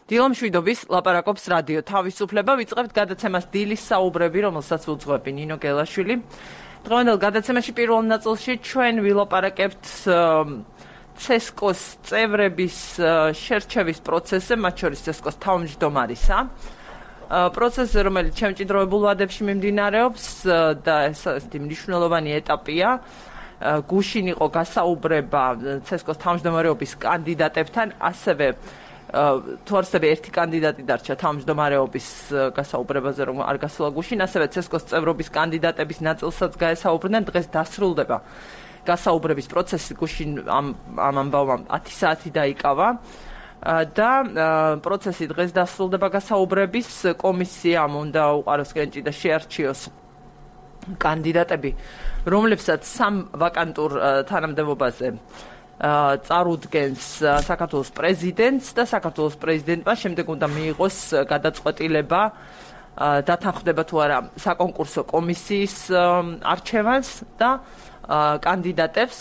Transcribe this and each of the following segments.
დილამშვიდობის ლაპარაკობს რადიო თავისუფლება. ვიწყებთ გადაცემას დილის საუბრები, რომელსაც უძღვები ნინო გელაშვილი. დღევანდელ გადაცემაში პირველ ნაწილში ჩვენ ვილაპარაკებთ ცესკოს წევრების შერჩევის პროცესზე, მათ შორის ცესკოს თავმჯდომარისა. პროცესზე, რომელიც შემჭიდროებულ ვადებში მიმდინარეობს და ეს მნიშვნელოვანი ეტაპია. გუშინ იყო გასაუბრება ცესკოს თავმჯდომარეობის კანდიდატებთან, ასევე თუ არსებია ერთი კანდიდატი დარჩა თავმჯდომარეობის გასაუბრებაზე, რომ არ გასულა გუშინ, ასევე ცესკოს წევრობის კანდიდატების ნაწილსაც გაესაუბრნენ. დღეს დასრულდება გასაუბრების პროცესი. გუშინ ამ ამბავმა 10 საათი დაიკავა და პროცესი დღეს დასრულდება გასაუბრების. კომისიამ უნდა უყაროს კენჭი და შეარჩიოს კანდიდატები, რომლებსაც სამ ვაკანტურ თანამდებობაზე წარუდგენს საქართველოს პრეზიდენტს და საქართველოს პრეზიდენტმა შემდეგ უნდა მიიღოს გადაწყვეტილება დათანხმდება თუ არა საკონკურსო კომისიის არჩევანს და კანდიდატებს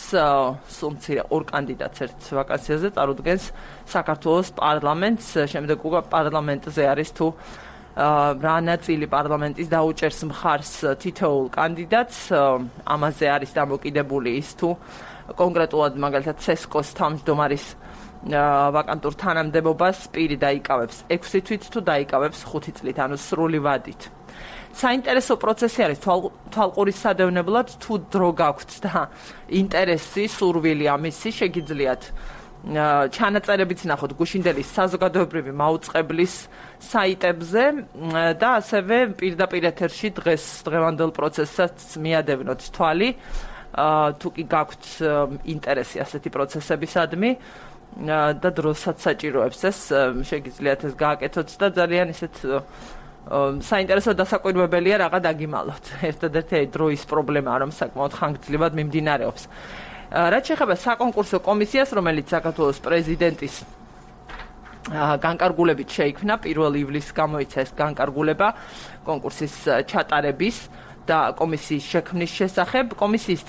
სულ ორ კანდიდატს ერთ ვაკანსიაზე წარუდგენს საქართველოს პარლამენტს. შემდეგ უკვე პარლამენტზე არის თუ რა ნაწილი პარლამენტის დაუჭერს მხარს თითოეულ კანდიდატს. ამაზე არის დამოკიდებული ის თუ კონკრეტულად მაგალითად ცესკოს თავმჯდომარის ვაკანტურ თანამდებობას პირი დაიკავებს 6 თვით თუ დაიკავებს 5 წლით, ანუ სრული ვადით. საინტერესო პროცესი არის თვალყურის სადევნებლად, თუ დრო გაქვთ და ინტერესი, სურვილი ამისი, შეგიძლიათ ჩანაწერებიც ნახოთ გუშინდელის საზოგადოებრივი მაუწყებლის საიტებზე და ასევე პირდაპირ ეთერში დღევანდელ პროცესსაც მიადევნოთ თვალი. თუ კი გაქვთ ინტერესი ასეთი პროცესებისადმი და დროსაც საჭიროებს ეს, შეგიძლიათ ეს გააკეთოთ და ძალიან ისეთ საინტერესო დასაკვირვებელია რაღა დაგიმალოთ. ერთადერთი დროის პრობლემაა, რომ საკმაოდ ხანგრძლივად მიმდინარეობს. რაც შეეხება საკონკურსო კომისიას, რომელიც საქართველოს პრეზიდენტის განკარგულებით შეიქმნა, 1 ივლისს გამოიცა ეს განკარგულება კონკურსის ჩატარების და კომისიის შექმნის შესახებ. კომისიის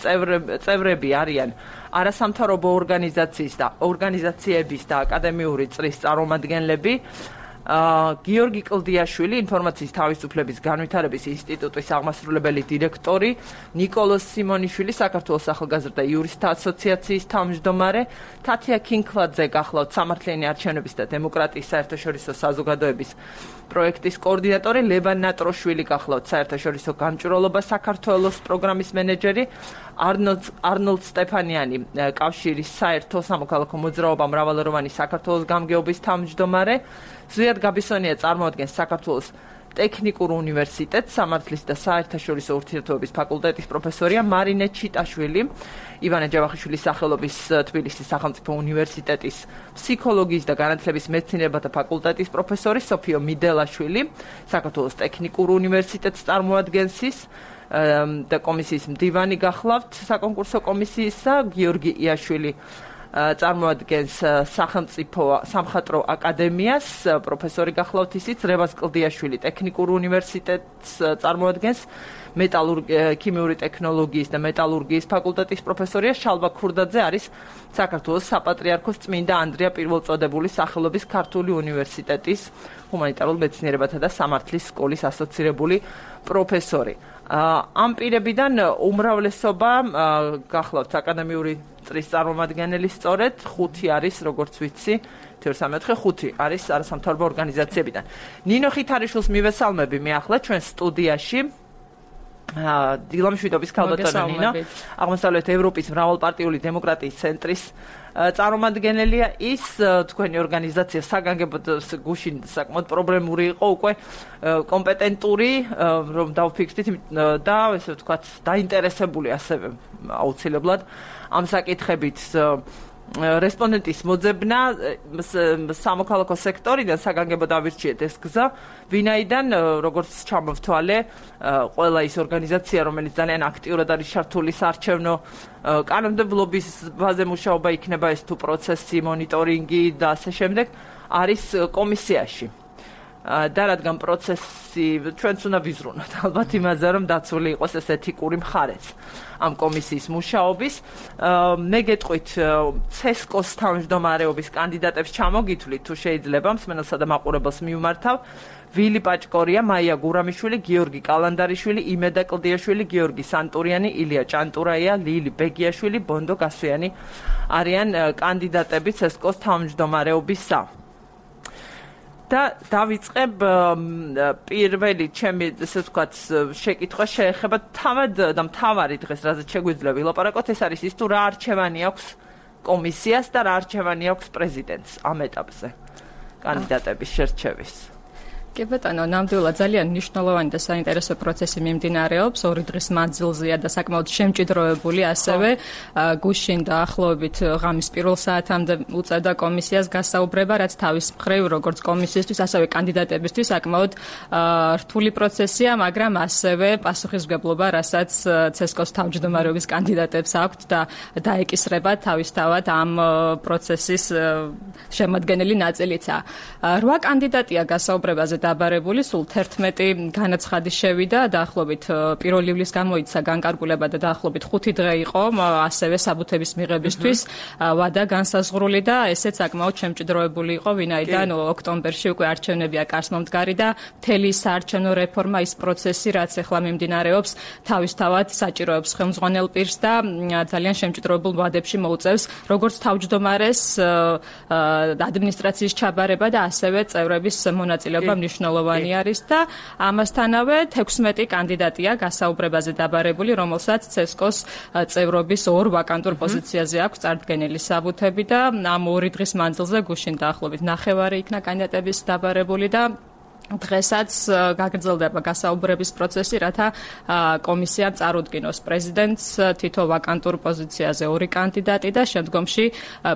წევრები არიან არასამთავრობო ორგანიზაციების და აკადემიური წრის წარმომადგენლები. გიორგი კლდიაშვილი, ინფორმაციის თავისუფლების განვითარების ინსტიტუტის აღმასრულებელი დირექტორი, ნიკოლოზ სიმონიშვილი, საქართველოს ახალგაზრდა იურისტთა ასოციაციის თავმჯდომარე, თათია ქინქლაძე, გახლავთ სამართლიანი არჩევნების და დემოკრატიის საერთაშორისო საზოგადოების პროექტის კოორდინატორი, ლევან ნატროშვილი, გახლავთ საერთაშორისო გამჭვირვალობა საქართველოს პროგრამის მენეჯერი, არნოლდ სტეფანიანი, კავშირის საერთო სამოქალაქო მოძრაობა მრავალეროვანი საქართველოს გამგეობის თავმჯდომარე, ზვიად გაბისონია წარმოადგენს საქართველოს ტექნიკურ უნივერსიტეტს, სამართლის და საერთაშორისო ურთიერთობების ფაკულტეტის პროფესორია, მარინე ჩიტაშვილი, ივანე ჯავახიშვილის სახელობის თბილისის სახელმწიფო უნივერსიტეტის ფსიქოლოგიის და განათლების მეცნიერებათა ფაკულტეტის პროფესორი, სოფიო მიდელაშვილი, საქართველოს ტექნიკურ უნივერსიტეტს წარმოადგენს ის და კომისიის მდივანი გახლავთ საკონკურსო კომისიისა, გიორგი იაშვილი წარმოადგენს სახელმწიფო სამხატვრო აკადემიას, პროფესორი გახლავთ ისიც, რევაზ კლდიაშვილი ტექნიკურ უნივერსიტეტს წარმოადგენს, ქიმიური ტექნოლოგიის და მეტალურგიის ფაკულტეტის პროფესორია, შალვა ქურდაძე არის საქართველოს საპატრიარქოს წმინდა ანდრია პირველწოდებულის სახელობის ქართული უნივერსიტეტის ჰუმანიტარულ მეცნიერებათა და სამართლის სკოლის ასოცირებული პროფესორი. ამ პირებიდან უმრავლესობა გახლავთ აკადემიური წრის წარმომადგენელი, სწორედ 5 არის, როგორც ვიცი, 5 არის არასამთავრობო ორგანიზაციებიდან. ნინო ხითარიშვილს მივესალმები მე ახლა ჩვენ სტუდიაში. დილამშვიდობის ქალბატონო ნინო, აღმოსავლეთ ევროპის მრავალპარტიული დემოკრატიის ცენტრის წარმომადგენელია. ის თქვენი ორგანიზაცია საგანგებოდ გუშინ საკმაოდ პრობლემური იყო, უკვე კომპეტენტური, რომ დავფიქრდით და ესე ვთქვათ, დაინტერესებული ასევე აუცილებლად ამ საკითხებით. რესპონდენტის მოძებნა სამოქალაქო სექტორიდან საგანგებოდ ავირჩიეთ ეს გზა, ვინაიდან როგორც ჩამოვთვალე, ყველა ის ორგანიზაცია, რომელიც ძალიან აქტიურად არის ჩართული საარჩევნო კანონმდებლობის ბაზე მუშაობა, იქნება ეს თუ პროცესი, მონიტორინგი და ასე შემდეგ, არის კომისიაში. და რადგან პროცესი ჩვენც უნდა ვიზრუნოთ ალბათ იმაზე რომ დაცული იყოს ეს ეთიკური მხარეც ამ კომისიის მუშაობის მე გეტყვით CESCO-ს თავმჯდომარეობის კანდიდატებს ჩამოგითვლით თუ შეიძლება მსმენელსა და მაყურებელს მივმართავ ვილი პაჭკორია, მაია გურამიშვილი, გიორგი კალანდარიშვილი, იმედა კლდიაშვილი, გიორგი სანტურიანი, ილია ჭანტურაია, ლილი ბეგიაშვილი, ბონდო გასვიანი არიან კანდიდატები CESCO-ს თავმჯდომარეობისა. და დავიწყებ პირველი ჩემი ესე ვთქვათ შეკითხვა შეეხება თავად და მთავარი დღეს რაზეც შეგვიძლია ვილაპარაკოთ ეს არის ის თუ რა არჩევანი აქვს კომისიას და რა არჩევანი აქვს პრეზიდენტს ამ ეტაპზე კანდიდატების შერჩევის. კი ბატონო, ნამდვილად ძალიან მნიშვნელოვანი და საინტერესო პროცესი მიმდინარეობს. 2 დღის მანძილზეა და საკმაოდ შემჭიდროვებული ასევე გუშინ დაახლოებით ღამის პირველ საათამდე უწევდა კომისიას გასაუბრება, რაც თავის მხრივ როგორც კომისიისთვის, ასევე კანდიდატებისთვის საკმაოდ რთული პროცესია, მაგრამ ასევე პასუხისმგებლობა, რასაც CESCO-ს თავმჯდომარეობის კანდიდატებს აქვთ და დაეკისრება თავისთავად ამ პროცესის შემადგენელი ნაწილიცაა. 8 კანდიდატია გასაუბრებაზე დაბარებული, სულ 11 განაცხადი შევიდა, დაახლოებით 1 ივლისს გამოიცა განკარგულება და დაახლოებით 5 დღე იყო, ასევე საბუთების მიღებისთვის ვადა განსაზღვრული და ესეც საკმაოდ შემჭიდროვებული იყო, ვინაიდან ოქტომბერში უკვე არჩევნებია კარსმომდგარი და მთელი საარჩევნო რეფორმა ის პროცესი, რაც ახლა მიმდინარეობს, თავისთავად საჭიროებს ხელმძღვანელ პირს და ძალიან შემჭიდროვებულ ვადებში მოუწევს, როგორც თავმჯდომარეს ადმინისტრაციის ჩაბარება და ასევე წევრების მონაწილეობა მნიშვნელოვანი არის და ამასთანავე 16 კანდიდატია გასაუბრებაზე დაბარებული, რომელსაც CESCO-ს წევრობის 2 ვაკანტურ პოზიციაზე აქვს წარდგენილი საბუთები და ამ 2 დღის მანძილზე გუშინ დაახლოებით 9 იქნა კანდიდატების დაბარებული და დღესაც გაგრძელდება გასაუბრების პროცესი, რათა კომისიამ წარუდგინოს პრეზიდენტს თითო ვაკანტურ პოზიციაზე 2 კანდიდატი და შემდგომში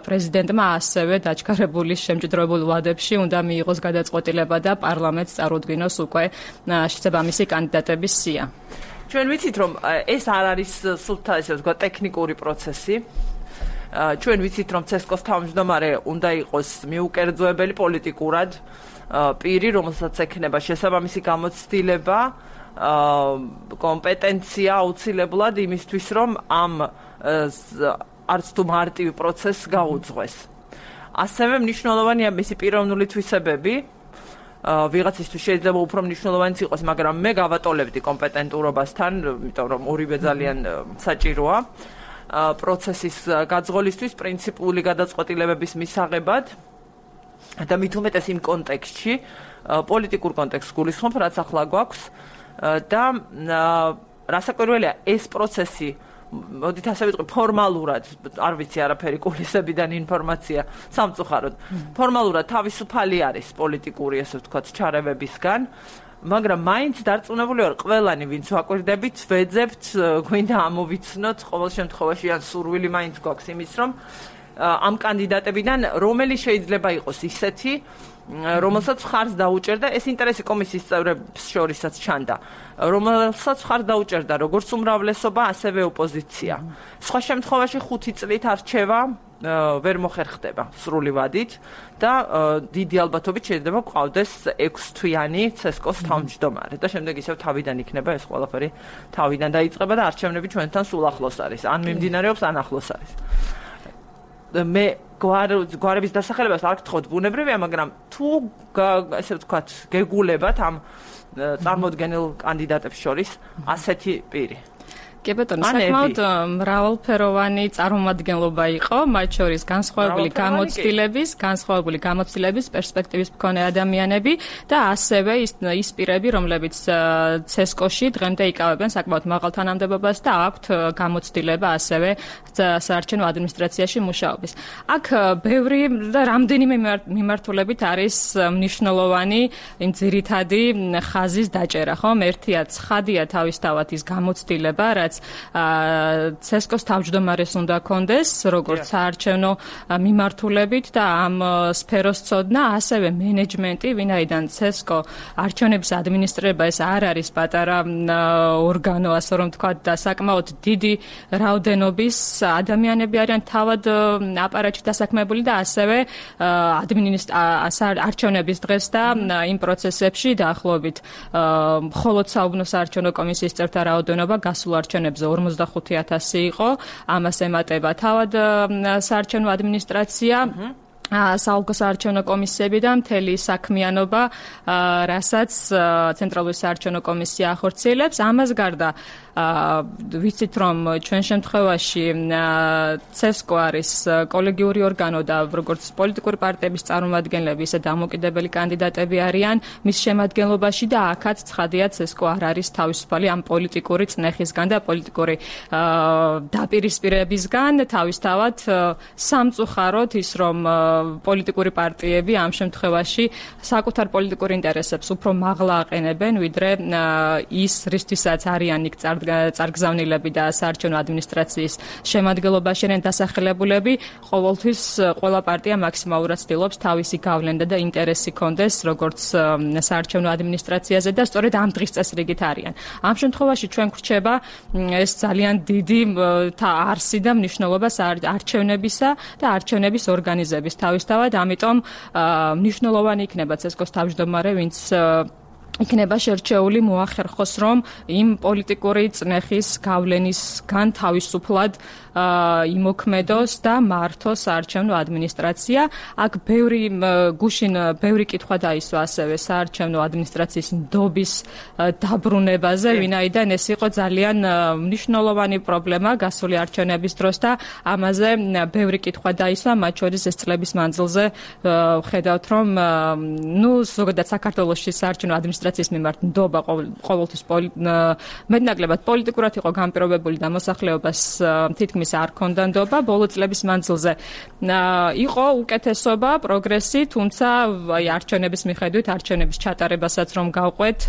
პრეზიდენტმა ასევე დაჩქარებული შემჭიდროებულ ვადებში უნდა მიიღოს გადაწყვეტილება და პარლამენტს წარუდგინოს უკვე შესაბამისი კანდიდატების სია. ჩვენ ვიცით რომ ეს არ არის სულთა ესე ვთქვა ტექნიკური პროცესი. ჩვენ ვიცით რომ CESCO-ს თავმჯდომარე უნდა იყოს მიუკერძოებელი პოლიტიკურად პირი, რომელსაც ექნება შესაბამისი გამოცდილება, კომპეტენცია აუცილებლად იმისთვის, რომ ამ არც თუ მარტივ პროცესს გაუძღვეს. ასევე მნიშვნელოვანია მისი პიროვნული თვისებები. ვიღაცისთვის შეიძლება უფრო მნიშვნელოვანიც იყოს, მაგრამ მე გავატოლებდი კომპეტენტურობასთან, იმიტომ რომ ორივე ძალიან საჭიროა პროცესის გაძღოლისთვის, პრინციპული გადაწყვეტილებების მისაღებად. და მით უმეტეს იმ კონტექსტში, პოლიტიკურ კონტექსტს გულისხმობ, რაც ახლა გვაქვს და რასაკვირველია ეს პროცესი, მოდით ასე ვიტყვი, ფორმალურად, არ ვიცი არაფერი კულისებიდან ინფორმაცია სამწუხაროდ, ფორმალურად თავისუფალი არის პოლიტიკური, ესე ვთქვათ, ჩარევებისგან, მაგრამ მაინც დარწმუნებული ვარ, ყველანი, ვინც ვაკვირდებით, ვეძებთ, გვინდა ამოვიცნოთ, ყოველ შემთხვევაში ან სურვილი მაინც გვაქვს იმის, რომ ამ კანდიდატებიდან რომელი შეიძლება იყოს ისეთი, რომელსაც ხარს დაუჭერდა, ეს ინტერესი კომისიის წევრებს შორისაც ჩანდა, რომელსაც ხარს დაუჭერდა როგორც უმრავლესობა, ასევე ოპოზიცია. სხვა შემთხვევაში 5 წლით არჩევა ვერ მოხერხდება სრული ვადით და დიდი ალბათობით შეიძლება გვყავდეს 6 თვიანი CESCO-ს თავმჯდომარე და შემდეგ ისევ თავიდან იქნება ეს ყველაფერი თავიდან დაიწყება და არჩევნები ჩვენთან სულ ახლოს არის, ან მიმდინარეობს, ან ახლოს არის. მე გვარების დასახელებას არ გთხოვთ ბუნებრივია, მაგრამ თუ ესე ვთქვათ, გეგულებათ ამ წარმოდგენილ კანდიდატებს შორის ასეთი პირი. კი ბატონო, საკმაოდ მრავალფეროვანი წარმომადგენლობა იყო, მათ შორის განსხვავებული გამოცდილების პერსპექტივის მქონე ადამიანები და ასევე ის პირები, რომლებიც CESCO-ში დღემდე იკავებენ საკმაოდ მაღალ თანამდებობას და აქვთ გამოცდილება ასევე საარჩევნო ადმინისტრაციაში მუშაობის. აქ ბევრი და რამდენიმე მიმართულებით არის მნიშვნელოვანი იმ ძირითადი ხაზის დაჭერა, ხომ? ერთია ცხადია თავისთავად ის გამოცდილება, რაც კანდიდატს CESCO-ს თავმჯდომარეს უნდა კონდეს, როგორც საარჩევნო მიმართულებით და ამ სფეროს ცოდნა, ასევე მენეჯმენტი, ვინაიდან CESCO არჩევნების ადმინისტრირება ეს არ არის პატარა ორგანო, ასე რომ თქვა და საკმაოდ დიდი რაოდენობის ადამიანები არიან თავად აპარატში დასაქმებული და ასევე არჩევნების დღეს და იმ პროცესებში დაახლოებით მხოლოდ საუბნო საარჩევნო კომისიის წევრთა რაოდენობა გასულ არჩევნებზე 45,000 იყო. ამას ემატება თავად საარჩევნო ადმინისტრაცია. საოლქო საარჩევნო კომისიები და მთელი საქმიანობა, რასაც ცენტრალური საარჩევნო კომისია ახორციელებს. ამას გარდა ვიცით რომ ჩვენ შემთხვევაში CESCO არის კოლეგიური ორგანო და როგორც პოლიტიკური პარტიების წარმომადგენლები, ისე დამოუკიდებელი კანდიდატები არიან მის შემადგენლობაში და აქაც ცხადია CESCO არ არის თავისუფალი ამ პოლიტიკური წნეხისგან და პოლიტიკური დაპირისპირებისგან, თავისთავად სამწუხაროდ ის რომ პოლიტიკური პარტიები ამ შემთხვევაში საკუთარ პოლიტიკურ ინტერესებს უფრო მაღლა აყენებენ, ვიდრე ის რისთვისაც არიან იქ წარგზავნილები და საარჩევნო ადმინისტრაციის შემადგენლობაში არიან დასახელებულები, ყოველთვის ყველა პარტია მაქსიმალურად ცდილობს თავისი გავლენა და ინტერესი კონდეს როგორც საარჩევნო ადმინისტრაციაზე და სწორედ ამ დღის წესრიგით არიან. ამ შემთხვევაში ჩვენ გვრჩება ეს ძალიან დიდი არსი და მნიშვნელობა არჩევნებისა და არჩევნების ორგანიზების თავისთავად, ამიტომ მნიშვნელოვანი იქნება CESCO-ს თავმჯდომარე, ვინც იქნება შერჩეული მოახერხოს, რომ იმ პოლიტიკური წნეხის გავლენისგან თავისუფლად იმოქმედოს და მართოს საარჩევნო ადმინისტრაცია. აქ გუშინ ბევრი კითხვა დაისვა ასევე საარჩევნო ადმინისტრაციის ნდობის დაბრუნებაზე, ვინაიდან ეს იყო ძალიან მნიშვნელოვანი პრობლემა გასული არჩევნების დროს და ამაზე ბევრი კითხვა დაისვა, მათ შორის ეს წლების მანძილზე ვხედავთ, რომ ზოგადად საქართველოში საარჩევნო ადმინისტრაციის მიმართ ნდობა ყოველთვის მეტნაკლებად პოლიტიკურად იყო განპირობებული და მოსახლეობას თითქმის არ ქონდა ნდობა. ბოლო წლების მანძილზე იყო უკეთესობა, პროგრესი, თუმცა არჩევნების მიხედვით, არჩევნების ჩატარებასაც რომ გავყვეთ,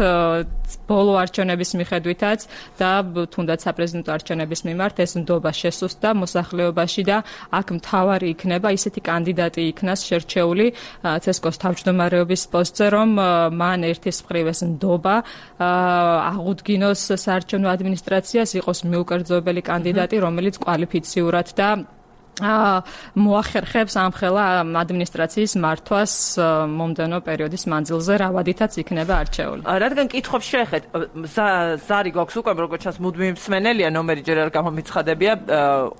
ბოლო არჩევნების მიხედვითაც და თუნდაც საპრეზიდენტო არჩევნების მიმართ ეს ნდობა შესუსტდა მოსახლეობაში და აქ მთავარი იქნება ისეთი კანდიდატი იქნას შერჩეული CESCO-ს თავმჯდომარეობის პოსტზე, რომ მან ერთის მხრივ ეს ნდობა აღუდგინოს საარჩევნო ადმინისტრაციას, იყოს მიუკერძოებელი კანდიდატი, რომელიც კვალიფიციურად და მოახერხებს ამხელა ადმინისტრაციის მართვას მომდევნო პერიოდის მანძილზე, რავადითაც იქნება არჩეული. რადგან კითხვებს შეეხეთ, ზარი გვაქვს უკვე, როგორც ჩანს, მუდმივი მსმენელია, ნომერი ჯერ არ გამომიცხადებია,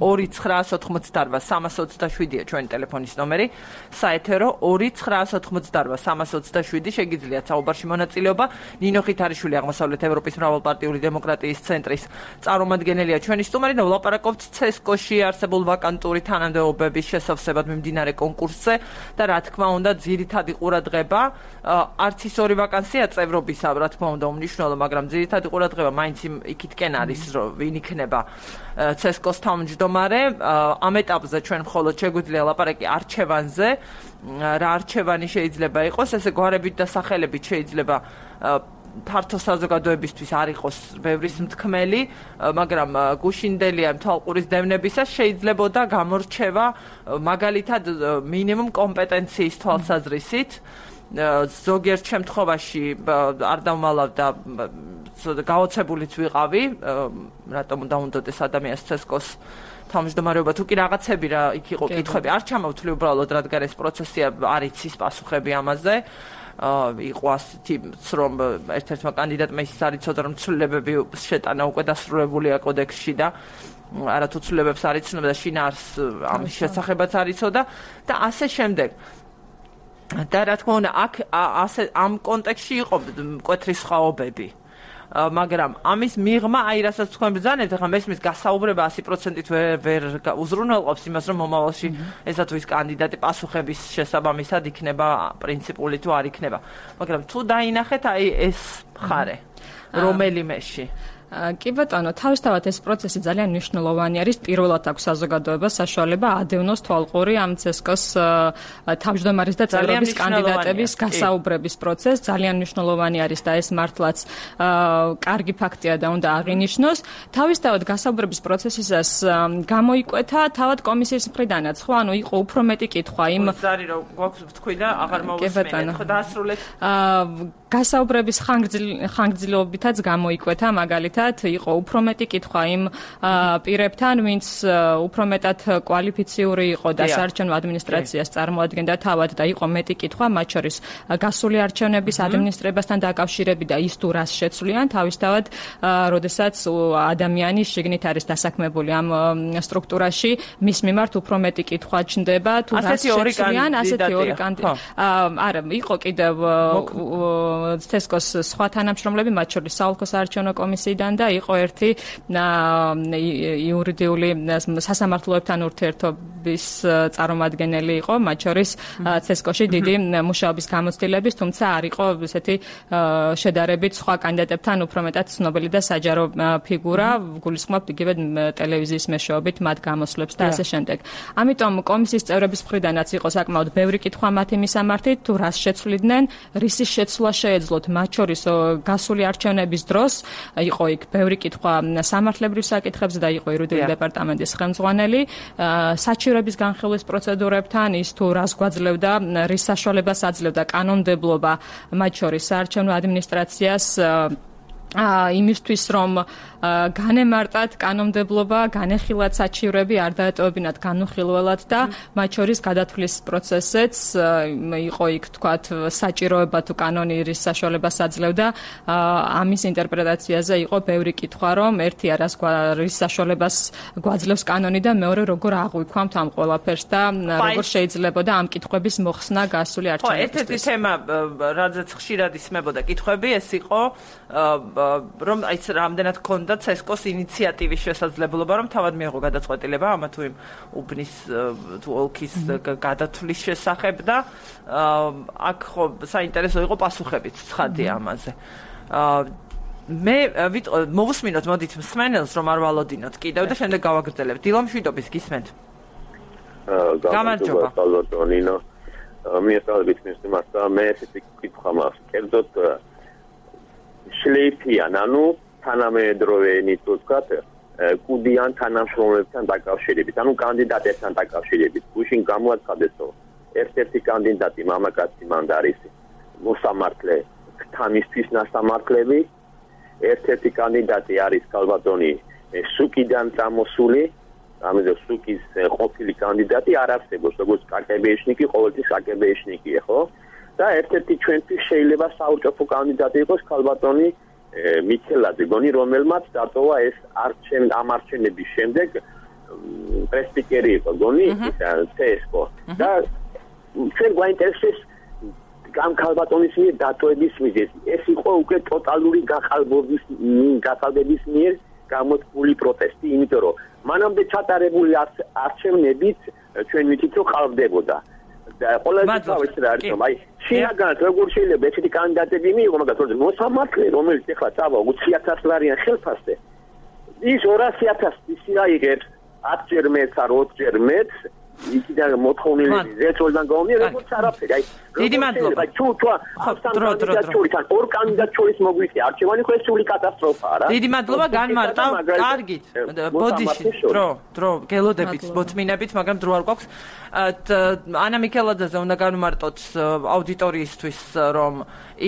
2988-327-ია ჩვენი ტელეფონის ნომერი, საეთერო 2988-327, შეგიძლიათ საუბარში მონაწილეობა. ნინო ხითარიშვილი, აღმოსავლეთ ევროპის მრავალპარტიული დემოკრატიის ცენტრის წარმომადგენელია ჩვენი სტუმარი და ვლაპარაკობთ CESCO-ში არსებულ ვაკანტური თანამდებობების შესავსებად მიმდინარე კონკურსზე და რა თქმა უნდა ძირითადი ყურადღება არც ის ორი ვაკანსია წევრობისა, რა თქმა უნდა უმნიშვნელო, მაგრამ ძირითადი ყურადღება მაინც იქითკენ არის, რომ ვინ იქნება CESCO-ს თავმჯდომარე. ამ ეტაპზე ჩვენ მხოლოდ შეგვიძლია ლაპარაკი არჩევანზე, რა არჩევანი შეიძლება იყოს, ესე გვარებით და სახელებით შეიძლება ფართო საზოგადოებისთვის არ იყოს ბევრის მთქმელი, მაგრამ გუშინდელია თვალყურის დევნებისას შეიძლებოდა გამორჩევა მაგალითად მინიმუმ კომპეტენციის თვალსაზრისით. ზოგიერთ შემთხვევაში არ დავმალავდა გაოცებულიც ვიყავი, რატომ უნდა უნდოდეს ადამიანს CESCO-ს თავმჯდომარეობა, თუ კი რაღაცები რა იქ იყო კითხვები, არ ჩამოვთვლი უბრალოდ, რადგან ეს პროცესია არ იცის პასუხები ამაზე. იყო ასეთი, რომ ერთ-ერთმა კანდიდატმა ის არ იცოდა, რომ ცვლილებები შეტანა უკვე დასრულებულია კოდექსში და არათუ ცვლილებებს არ იცნობდა და შინაარს ამის შესახებაც არ იცოდა და ასე შემდეგ. და რა თქმა უნდა, აქ ამ კონტექსტში იყო მკვეთრი სხვაობები. მაგრამ ამის მიღმა, რასაც თქვენ ბრძანებთ, ახლა მესმის გასაუბრება 100%-ით ვერ უზრუნველყოფს იმას, რომ მომავალში ესა თუ ის კანდიდატი პასუხების შესაბამისად იქნება პრინციპული თუ არ იქნება. მაგრამ თუ დაინახეთ ეს მხარე, რომელიმეში კი ბატონო, თავისთავად ეს პროცესი ძალიან მნიშვნელოვანი არის. პირველად აქვს საზოგადოებას საშუალება ადევნოს თვალყური ამ CESCO-ს თავმჯდომარის და წევრების კანდიდატების გასაუბრების პროცესს. ძალიან მნიშვნელოვანი არის და ეს მართლაც კარგი ფაქტია და უნდა აღინიშნოს. თავისთავად გასაუბრების პროცესისას გამოიკვეთა თავად კომისიის მხრიდანაც, ხო, ანუ იყო უფრო მეტი კითხვა იმ ზარი რომ გვაქვს თქვი და აღარ მოусმენთ, ხო დაასრულეთ. გასაუბრების ხანგრძლივობითაც გამოიკვეთა, მაგალითად, იყო უფრო მეტი კითხვა იმ პირებთან, ვინც უფრო მეტად კვალიფიციური იყო და საარჩევნო ადმინისტრაციას წარმოადგენდა თავად და იყო მეტი კითხვა, მათ შორის გასული არჩევნების ადმინისტრირებასთან დაკავშირებით და ის თუ რას შეცვლიან, თავისთავად, როდესაც ადამიანი შიგნით არის დასაქმებული ამ სტრუქტურაში, მის მიმართ უფრო მეტი კითხვა ჩნდება, თუ რას შეცვლიან, ასეთი ორი კანდიდატი. არა, იყო კიდევ CESCO-ს სხვა თანამშრომლები, მათ შორის საოლქო საარჩევნო კომისიიდან და იყო ერთი იურიდიული სასამართლოებთან ურთიერთობის წარმომადგენელი იყო, მათ შორის CESCO-ში დიდი მუშაობის გამოცდილების, თუმცა არ იყო ესეთი შედარებით სხვა კანდიდატებთან უფრო მეტად ცნობილი და საჯარო ფიგურა, გულისხმობთ იგივე ტელევიზიის მეშვეობით მათ გამოსვლებს და ასე შემდეგ. ამიტომ კომისიის წევრების მხრიდანაც იყო საკმაოდ ბევრი კითხვა მათი მისამართით, თუ რას შეცვლიდნენ, რისის შეცვლა შეეძლოთ, მათ შორის გასული არჩევნების დროს იყო იქ ბევრი კითხვა სამართლებრივ საკითხებზე და იყო იურიდიული დეპარტამენტის ხელმძღვანელი, საჩივრების განხილვის პროცედურებთან, ის თუ რას გვაძლევდა, რის საშუალებას აძლევდა კანონმდებლობა, მათ შორის საარჩევნო ადმინისტრაციას იმისთვის რომ განემარტათ კანონმდებლობა, განეხილათ საჩივრები, არ დაეტოვებინათ განუხილველად და მათ შორის გადათვლის პროცესიც იყო იქ თქვათ საჭიროება თუ კანონი რის საშუალებას აძლევდა, ამის ინტერპრეტაციაზე იყო ბევრი კითხვა, რომ ერთი რის საშუალებას გვაძლევს კანონი და მეორე როგორ აღვიქვამთ ამ ყველაფერს და როგორ შეიძლებოდა ამ კითხვების მოხსნა გასული არჩევნებისთვის. ერთ-ერთი თემა, რადგან ხშირად ისმებოდა კითხვები, ეს იყო რომ აიც რამდენად ქონდა CESCO-ს ინიციატივის შესაძლებლობა, რომ თავად მიიღო გადაწყვეტილება ამა თუ იმ უბნის თუ ოლქის გადათვლის შესახებ და აქ ხო საინტერესო იყო პასუხებიც ცხადი ამაზე. მე მოვუსმინოთ მოდით მსმენელს რომ არ ვალოდინოთ კიდევ და შემდეგ გავაგრძელებთ. დილა მშვიდობის გისმენთ. გამარჯობა ბალოტონინო. მიესალმებით მისმართა მე ესეთი კითხვა მაქვს. კერძოდ შლეიფიან, ანუ თანამედროვენი თუ ვთქვათ, კუდიან თანამშრომლებთან დაკავშირებით, ანუ კანდიდატებთან დაკავშირებით. გუშინ გამოაცხადეს, რომ ერთ-ერთი კანდიდატი მამაკაცი მანდარისი, მოსამართლე თანისთვის ნასამართლები, ერთ-ერთი კანდიდატი არის ქალბატონი სუკიდან წამოსული, ამიტომ სუკის ყოფილი კანდიდატი არ არსებობს, როგორც კაკებეიშნიკი, ყოველთვის კაკებეიშნიკია, ხო? და ერთ-ერთი ჩვენთვის შეიძლება საურჭოფო კანდიდატი იყოს ქალბატონი მიქელაძე, გონი, რომელმაც დატოვა ეს ამ არჩევნების შემდეგ პრესპიკერი იყო, გონი, CESCO. და ჩვენ გვაინტერესებს ამ ქალბატონის მიერ დატოვების მიზეზი. ეს იყო უკვე ტოტალური გახალბების მიერ გამოწვეული პროტესტი, იმიტომ რომ მანამდე ჩატარებული არჩევნებით ჩვენ ვიცით, რომ ხალბდებოდა. ყველაზე თავის რა არის, რომ აი შინაგან როგორ შეიძლება ესეთი კანდიდატები მიიღო, მაგრამ მოსამართლე, რომელიც ეხლა წავა 20,000 ლარიან ხელფასზე, ის 200,000 ისი აიღებს 10 ჯერ მეტს არ 20 ჯერ მეტს, იქიდან მოთხოვნილი ზეწოლიდან გამომდინარე, როგორც არაფერი. აი დიდი მადლობა. აი თუ ორ კანდიდატ შორის მოგვიწია არჩევანი, ხო ეს სული კატასტროფაა რა. დიდი მადლობა, განმარტავ. კარგით. ბოდიში, დრო, გელოდებით, მოთმინებით, მაგრამ დრო არ გვაქვს. ანა მიქელაძეზე უნდა განმარტოთ აუდიტორიისთვის, რომ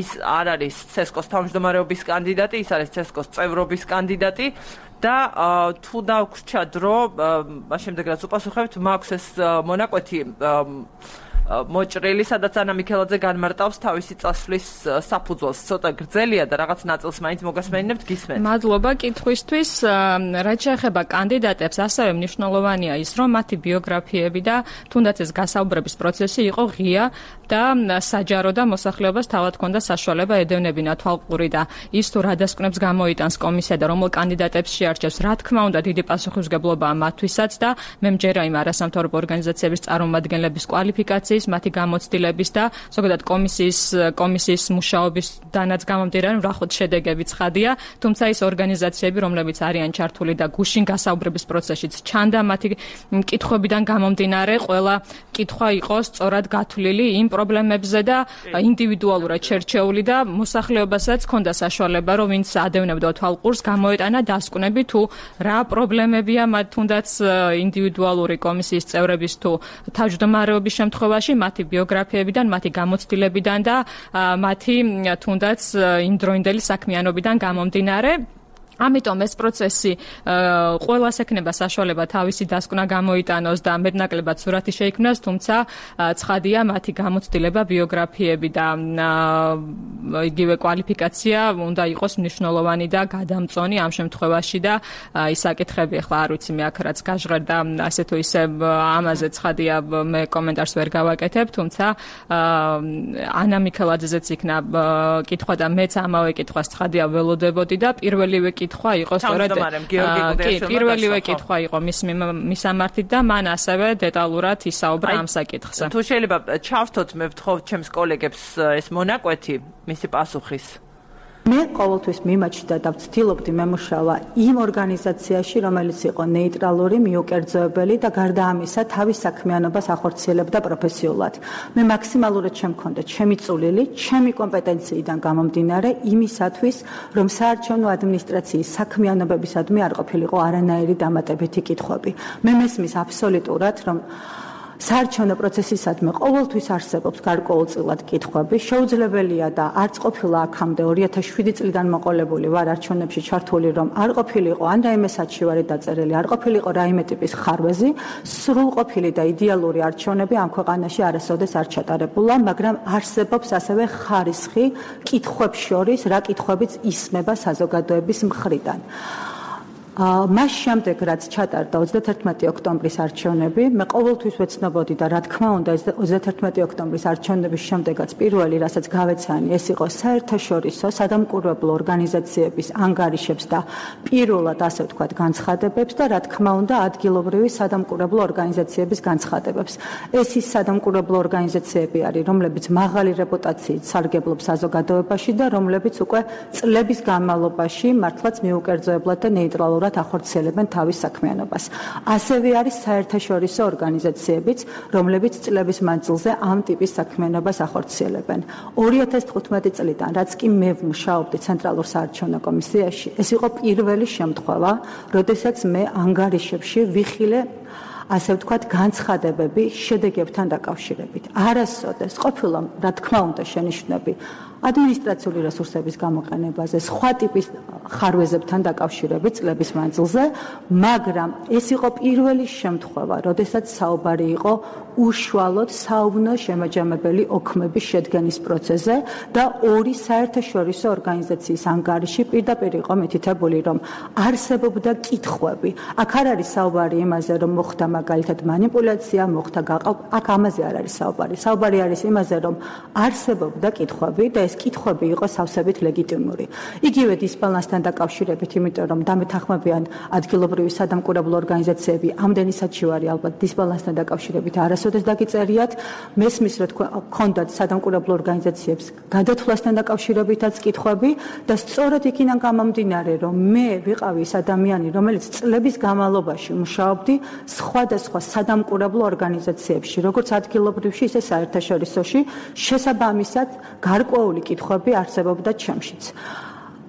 ის არ არის CESCO-ს თავმჯდომარეობის კანდიდატი, ის არის CESCO-ს წევრობის კანდიდატი. და თუ დაგვრჩა დრო, შემდეგ რაც უპასუხებთ, მაქვს ეს მონაკვეთი მოჭრილი, სადაც ანა მიქელაძე განმარტავს თავისი წასვლის საფუძველს. ცოტა გრძელია და რაღაც ნაწილს მაინც მოგასმენინებთ, გისმენთ. მადლობა კითხვისთვის. რაც შეეხება კანდიდატებს, ასევე მნიშვნელოვანია ის, რომ მათი ბიოგრაფიები და თუნდაც ეს გასაუბრების პროცესი იყო ღია და საჯარო და მოსახლეობას თავად ჰქონდა საშუალება ედევნებინა თვალყური და ის თუ რა დასკვნებს გამოიტანს კომისია და რომელ კანდიდატებს შეარჩევს, რა თქმა უნდა, დიდი პასუხისმგებლობაა მათთვისაც და მე მჯერა იმ არასამთავრობო ორგანიზაციების წარმომადგენლების კვალიფიკაციის ინფორმაციის, მათი გამოცდილების და ზოგადად კომისიის მუშაობისდანაც გამომდინარე, ვრახოთ შედეგები ცხადია, თუმცა ის ორგანიზაციები, რომლებიც არიან ჩართული და გუშინ გასაუბრების პროცესშიც ჩანდა მათი კითხვებიდან გამომდინარე, ყველა კითხვა იყო სწორად გათვლილი იმ პრობლემებზე და ინდივიდუალურად შერჩეული და მოსახლეობასაც ჰქონდა საშუალება, რომ ვინც ადევნებდა თვალყურს, გამოეტანა დასკვნები თუ რა პრობლემებია მათ თუნდაც ინდივიდუალური კომისიის წევრების თუ თავმჯდომარეობის შემთხვევაში, მათი ბიოგრაფიებიდან, მათი გამოცდილებიდან და მათი თუნდაც იმდროინდელი საქმიანობიდან გამომდინარე. ამიტომ ეს პროცესი ყველას ექნება საშუალება თავისი დასკვნა გამოიტანოს და მეტნაკლებად სურათი შეიქმნას, თუმცა ცხადია მათი გამოცდილება, ბიოგრაფიები და იგივე კვალიფიკაცია უნდა იყოს მნიშვნელოვანი და გადამწონი ამ შემთხვევაში და ის საკითხები ახლა არ ვიცი მე აქ რაც გაჟღერდა ასე თუ ისე ამაზე ცხადია მე კომენტარს ვერ გავაკეთებ, თუმცა ანა მიქელაძეც იქნა კითხვა და მეც ამავე კითხვას ცხადია ველოდებოდი და პირველივე კითხვა იყო სწორედ პირველივე კითხვა იყო მის მისამართით და მან ასევე დეტალურად ისაუბრა ამ საკითხზე. თუ შეიძლება ჩავთოთ მე ვთხოვ ჩემს კოლეგებს ეს მონაკვეთი მისი პასუხის. მე ყოველთვის მიმაჩნდა და ვცდილობდი მემუშავა იმ ორგანიზაციაში, რომელიც იყო ნეიტრალური, მიუკერძოებელი და გარდა ამისა თავის საქმიანობას ახორციელებდა პროფესიულად. მე მაქსიმალურად შემქონდა ჩემი წვლილი, ჩემი კომპეტენციიდან გამომდინარე იმისათვის, რომ საარჩევნო ადმინისტრაციის საქმიანობებისადმი არ ყოფილიყო არანაირი დამატებითი კითხვები. მე მესმის აბსოლუტურად, რომ საარჩევნო პროცესისადმი ყოველთვის არსებობს გარკვეულწილად კითხვები. შეუძლებელია და არც ყოფილა აქამდე 2007 წლიდან მოყოლებული ვარ არჩევნებში ჩართული, რომ არ ყოფილიყო ან რაიმე საჩივარი დაწერილი, არ ყოფილიყო რაიმე ტიპის ხარვეზი, სრულყოფილი და იდეალური არჩევნები ამ ქვეყანაში არასოდეს არ ჩატარებულა, მაგრამ არსებობს ასევე ხარისხი კითხვებს შორის, რა კითხვებიც ისმება საზოგადოების მხრიდან. მას შემდეგ რაც ჩატარდა 31 ოქტომბრის არჩევნები, მე ყოველთვის ვეცნობოდი და რა თქმა უნდა 31 ოქტომბრის არჩევნების შემდეგაც პირველი რასაც გავეცანი, ეს იყო საერთაშორისო სადამკვირვებლო ორგანიზაციების ანგარიშებს და პირველად ასე ვთქვათ განცხადებებს და რა თქმა უნდა ადგილობრივი სადამკვირვებლო ორგანიზაციების განცხადებებს. ეს ის სადამკვირვებლო ორგანიზაციები არის, რომლებიც მაღალი რეპუტაციით სარგებლობს საზოგადოებაში და რომლებიც უკვე წლების განმავლობაში მართლაც მიუკერძოებლად და ნეიტრალურად ახორციელებენ თავის საქმიანობას. ასევე არის საერთაშორისო ორგანიზაციებიც, რომლებიც წლების მანძილზე ამ ტიპის საქმიანობას ახორციელებენ. 2015 წლიდან, რაც კი მე ვმუშაობდი ცენტრალურ საარჩევნო კომისიაში, ეს იყო პირველი შემთხვევა, როდესაც მე ანგარიშებში ვიხილე ასე ვთქვათ განცხადებები შედეგებთან დაკავშირებით. არასოდეს ყოფილა, რა თქმა უნდა, შენიშვნები ადმინისტრაციული რესურსების გამოყენებაზე, სხვა ტიპის ხარვეზებთან დაკავშირებით წლების მანძილზე, მაგრამ ეს იყო პირველი შემთხვევა, როდესაც საუბარი იყო უშუალოდ საუბნო შემაჯამებელი ოქმების შედგენის პროცესზე და ორი საერთაშორისო ორგანიზაციის ანგარიში პირდაპირ იყო მითითებული, რომ არსებობდა კითხვები. აქ არ არის საუბარი იმაზე, რომ მოხდა მაგალითად манипуляция, მოხდა აქ ამაზე არ არის საუბარი. საუბარი არის იმაზე, რომ არსებობდა კითხვები და ეს კითხვები იყო სავსებით ლეგიტიმური. იგივე დისბალანსთან დაკავშირებით, იმიტომ რომ დამეთანხმებიან ადგილობრივი სადამკვირვებლო ორგანიზაციები, ამდენი საჩივარი ალბათ დისბალანსთან დაკავშირებით არასოდეს დაგიწერიათ. მესმის რომ გქონდათ სადამკვირვებლო ორგანიზაციებს გადათვლასთან დაკავშირებითაც კითხვები და სწორედ იქიდან გამომდინარე, რომ მე ვიყავი ის ადამიანი, რომელიც წლების განმავლობაში მუშაობდი სხვადასხვა სადამკვირვებლო ორგანიზაციებში, როგორც ადგილობრივში, ისე საერთაშორისოში, შესაბამისად გარკვეული კითხვები არსებობდა ჩემშიც.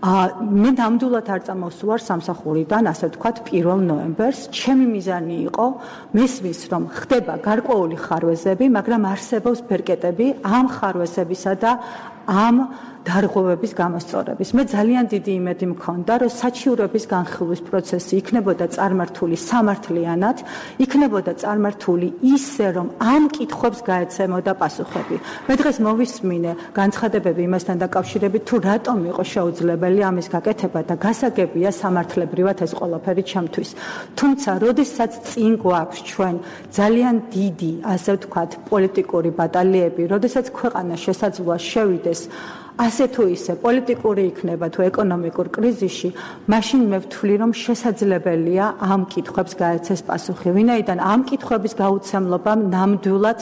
მე ნამდვილად არ წამოვსვარ სამსახურიდან, ასე ვთქვათ, 1 ნოემბერს. ჩემი მიზანი იყო მესმის, რომ ხდება გარკვეული ხარვეზები, მაგრამ არსებობს ბერკეტები ამ ხარვეზებისა და ამ დარღვევების გამოსწორების. მე ძალიან დიდი იმედი მქონდა, რომ საჩივრების განხილვის პროცესი იქნებოდა წარმართული სამართლიანად, იქნებოდა წარმართული ისე, რომ ამ კითხვებს გაეცემოდა პასუხები. მე დღეს მოვისმინე განცხადებები იმასთან დაკავშირებით, თუ რატომ იყო შეუძლებელი ამის გაკეთება და გასაგებია სამართლებრივად ეს ყველაფერი ჩემთვის. თუმცა, როდესაც წინ გვაქვს ჩვენ ძალიან დიდი, ასე ვთქვათ, პოლიტიკური ბატალიები, როდესაც ქვეყანა შესაძლოა შევიდეს ასე თუ ისე პოლიტიკური იქნება თუ ეკონომიკურ კრიზისში, მაშინ მე ვთვლი, რომ შესაძლებელია ამ კითხვებს გაეცეს პასუხი. ვინაიდან ამ კითხვების გაუცემლობამ ნამდვილად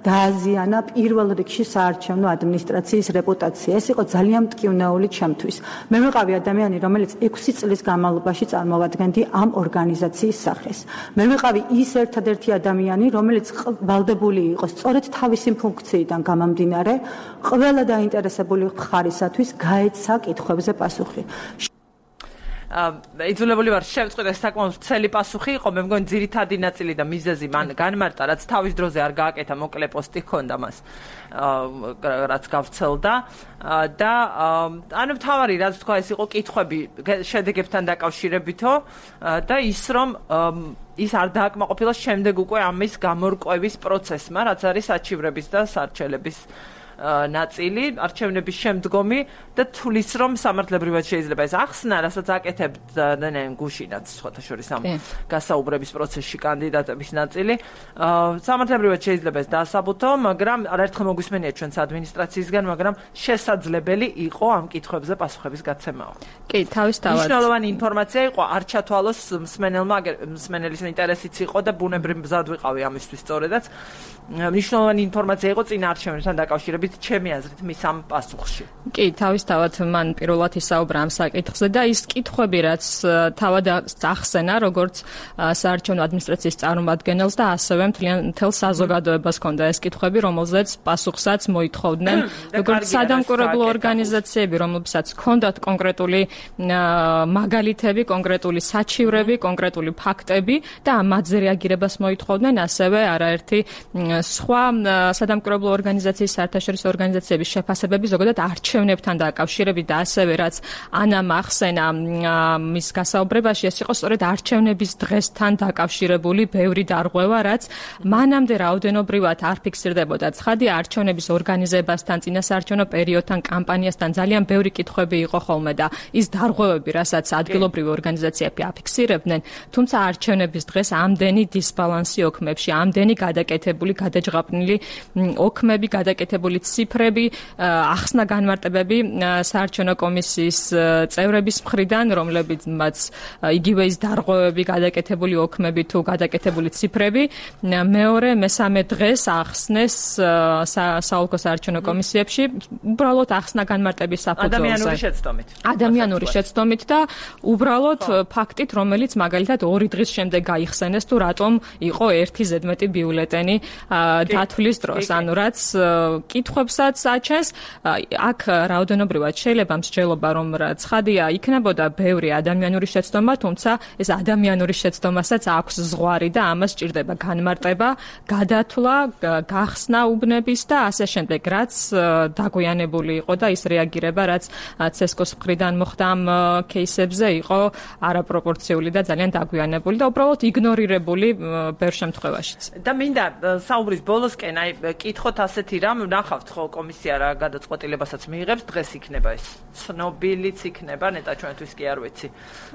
დააზიანა პირველ რიგში საარჩევნო ადმინისტრაციის რეპუტაცია. ეს იყო ძალიან მტკივნეული ჩემთვის. მე ვიყავი ადამიანი, რომელიც 6 წლის განმავლობაში წარმოვადგენდი ამ ორგანიზაციის სახეს. მე ვიყავი ის ერთადერთი ადამიანი, რომელიც ვალდებული იყო სწორედ თავისი ფუნქციიდან გამომდინარე ყველა დაინტერესებული მხარისათვის გაეცა კითხვებზე პასუხი. იძულებული ვარ შევწყვეტ ეს საკმაოდ ვრცელი პასუხი იყო, მე მგონი ძირითადი ნაწილი და მიზეზი მან განმარტა, რაც თავის დროზე არ გააკეთა, მოკლე პოსტი ჰქონდა მას, რაც გავრცელდა და ანუ მთავარი რაც თქვა ეს იყო კითხვები შედეგებთან დაკავშირებითო და ის რომ ის არ დააკმაყოფილა შემდეგ უკვე ამის გამორკვევის პროცესმა, რაც არის საჩივრების და სარჩელების ნაწილი, არჩევნების შემდგომი და თulis რომ სამართლებრივად შეიძლება ეს ახსნა, რასაც აკეთებდა გუშინაც სხვათა შორის ამ გასაუბრების პროცესში კანდიდატების ნაწილი, სამართლებრივად შეიძლება ეს დაასაბუთო, მაგრამ არაერთხელ მოგვისმენია ჩვენს ადმინისტრაციისგან, მაგრამ შესაძლებელი იყო ამ კითხვებზე პასუხების გაცემაო. კი, თავისთავად. მნიშვნელოვანი ინფორმაცია იყო, არ ჩათვალოს მსმენელის ინტერესიც იყო და ბუნებრივ მზად ვიყავი ამისთვის სწორედაც. მნიშვნელოვანი ინფორმაცია იყო წინა არჩევნებთან დაკავშირებით ჩემი აზრით მის ამ პასუხში. კი, თავისთავად მან პირველად ისაუბრა ამ საკითხზე და ის კითხვები, რაც თავად ახსენა, როგორც საარჩევნო ადმინისტრაციის წარმომადგენელს და ასევე მთელ საზოგადოებას ჰქონდა ეს კითხვები, რომელზეც პასუხსაც მოითხოვდნენ, როგორც სადამკვირვებლო ორგანიზაციები, რომლებსაც ჰქონდათ კონკრეტული მაგალითები, კონკრეტული საჩივრები, კონკრეტული ფაქტები და ამაზე რეაგირებას მოითხოვდნენ, ასევე არაერთი სხვა სადამკვირვებლო ორგანიზაციის საერთაშორისო ორგანიზაციების შეფასებები ზოგადად არჩევნებთან დაკავშირებით და ასევე რაც ანამ ახსენა მის გასაუბრებაში ეს იყო სწორედ არჩევნების დღესთან დაკავშირებული ბევრი დარღვევა, რაც მანამდე რაოდენობრივად არ ფიქსირდებოდა. ცხადია, არჩევნების ორგანიზებასთან, წინასაარჩევნო პერიოდთან, კამპანიასთან ძალიან ბევრი კითხვები იყო ხოლმე და ის დარღვევები, რასაც ადგილობრივი ორგანიზაციები აფიქსირებდნენ, თუმცა არჩევნების დღეს ამდენი დისბალანსი ოქმებში, ამდენი გადაკეთებული, გადაჯღაპნილი ოქმები, გადაკეთებული ციფრები, ახსნა განმარტებები საარჩევნო კომისიის წევრების მხრიდან, რომლებიც იგივე ის დარღვევები, გადაკეთებული ოქმები თუ გადაკეთებული ციფრები, მეორე, მესამე დღეს ახსნეს საოლქო საარჩევნო კომისიებში, უბრალოდ ახსნა განმარტების საფუძველზე. ადამიანური შეცდომით და უბრალოდ ფაქტით, რომელიც მაგალითად 2 დღის შემდეგ გაიხსენეს თუ რატომ იყო 1 ზედმეტი ბიულეტენი დათვლის დროს, ანუ რაც კითხვებსაც აჩენს, აქ რაოდენობრივად შეიძლება მსჯელობა, რომ ცხადია იქნებოდა ბევრი ადამიანური შეცდომა, თუმცა ეს ადამიანური შეცდომასაც აქვს ზღვარი და ამას სჭირდება განმარტება, გადათვლა, გახსნა უბნების და ასე შემდეგ, რაც დაგვიანებული იყო და ის რეაგირება, რაც ცესკოს მხრიდან მოხდა ამ кейსებზე, იყო არაპროპორციული და ძალიან დაგვიანებული და უბრალოდ იგნორირებული ბევრ შემთხვევაშიც. და მინდა საუბრის ბოლოსკენ აი კითხოთ ასეთი რამ, ნახავთ ხო კომისია რა გადაწყვეტილებასაც მიიღებს, დღეს იქნება ეს ცნობილიც იქნება, ნეტა ჩვენთვის კი არ ვიცი.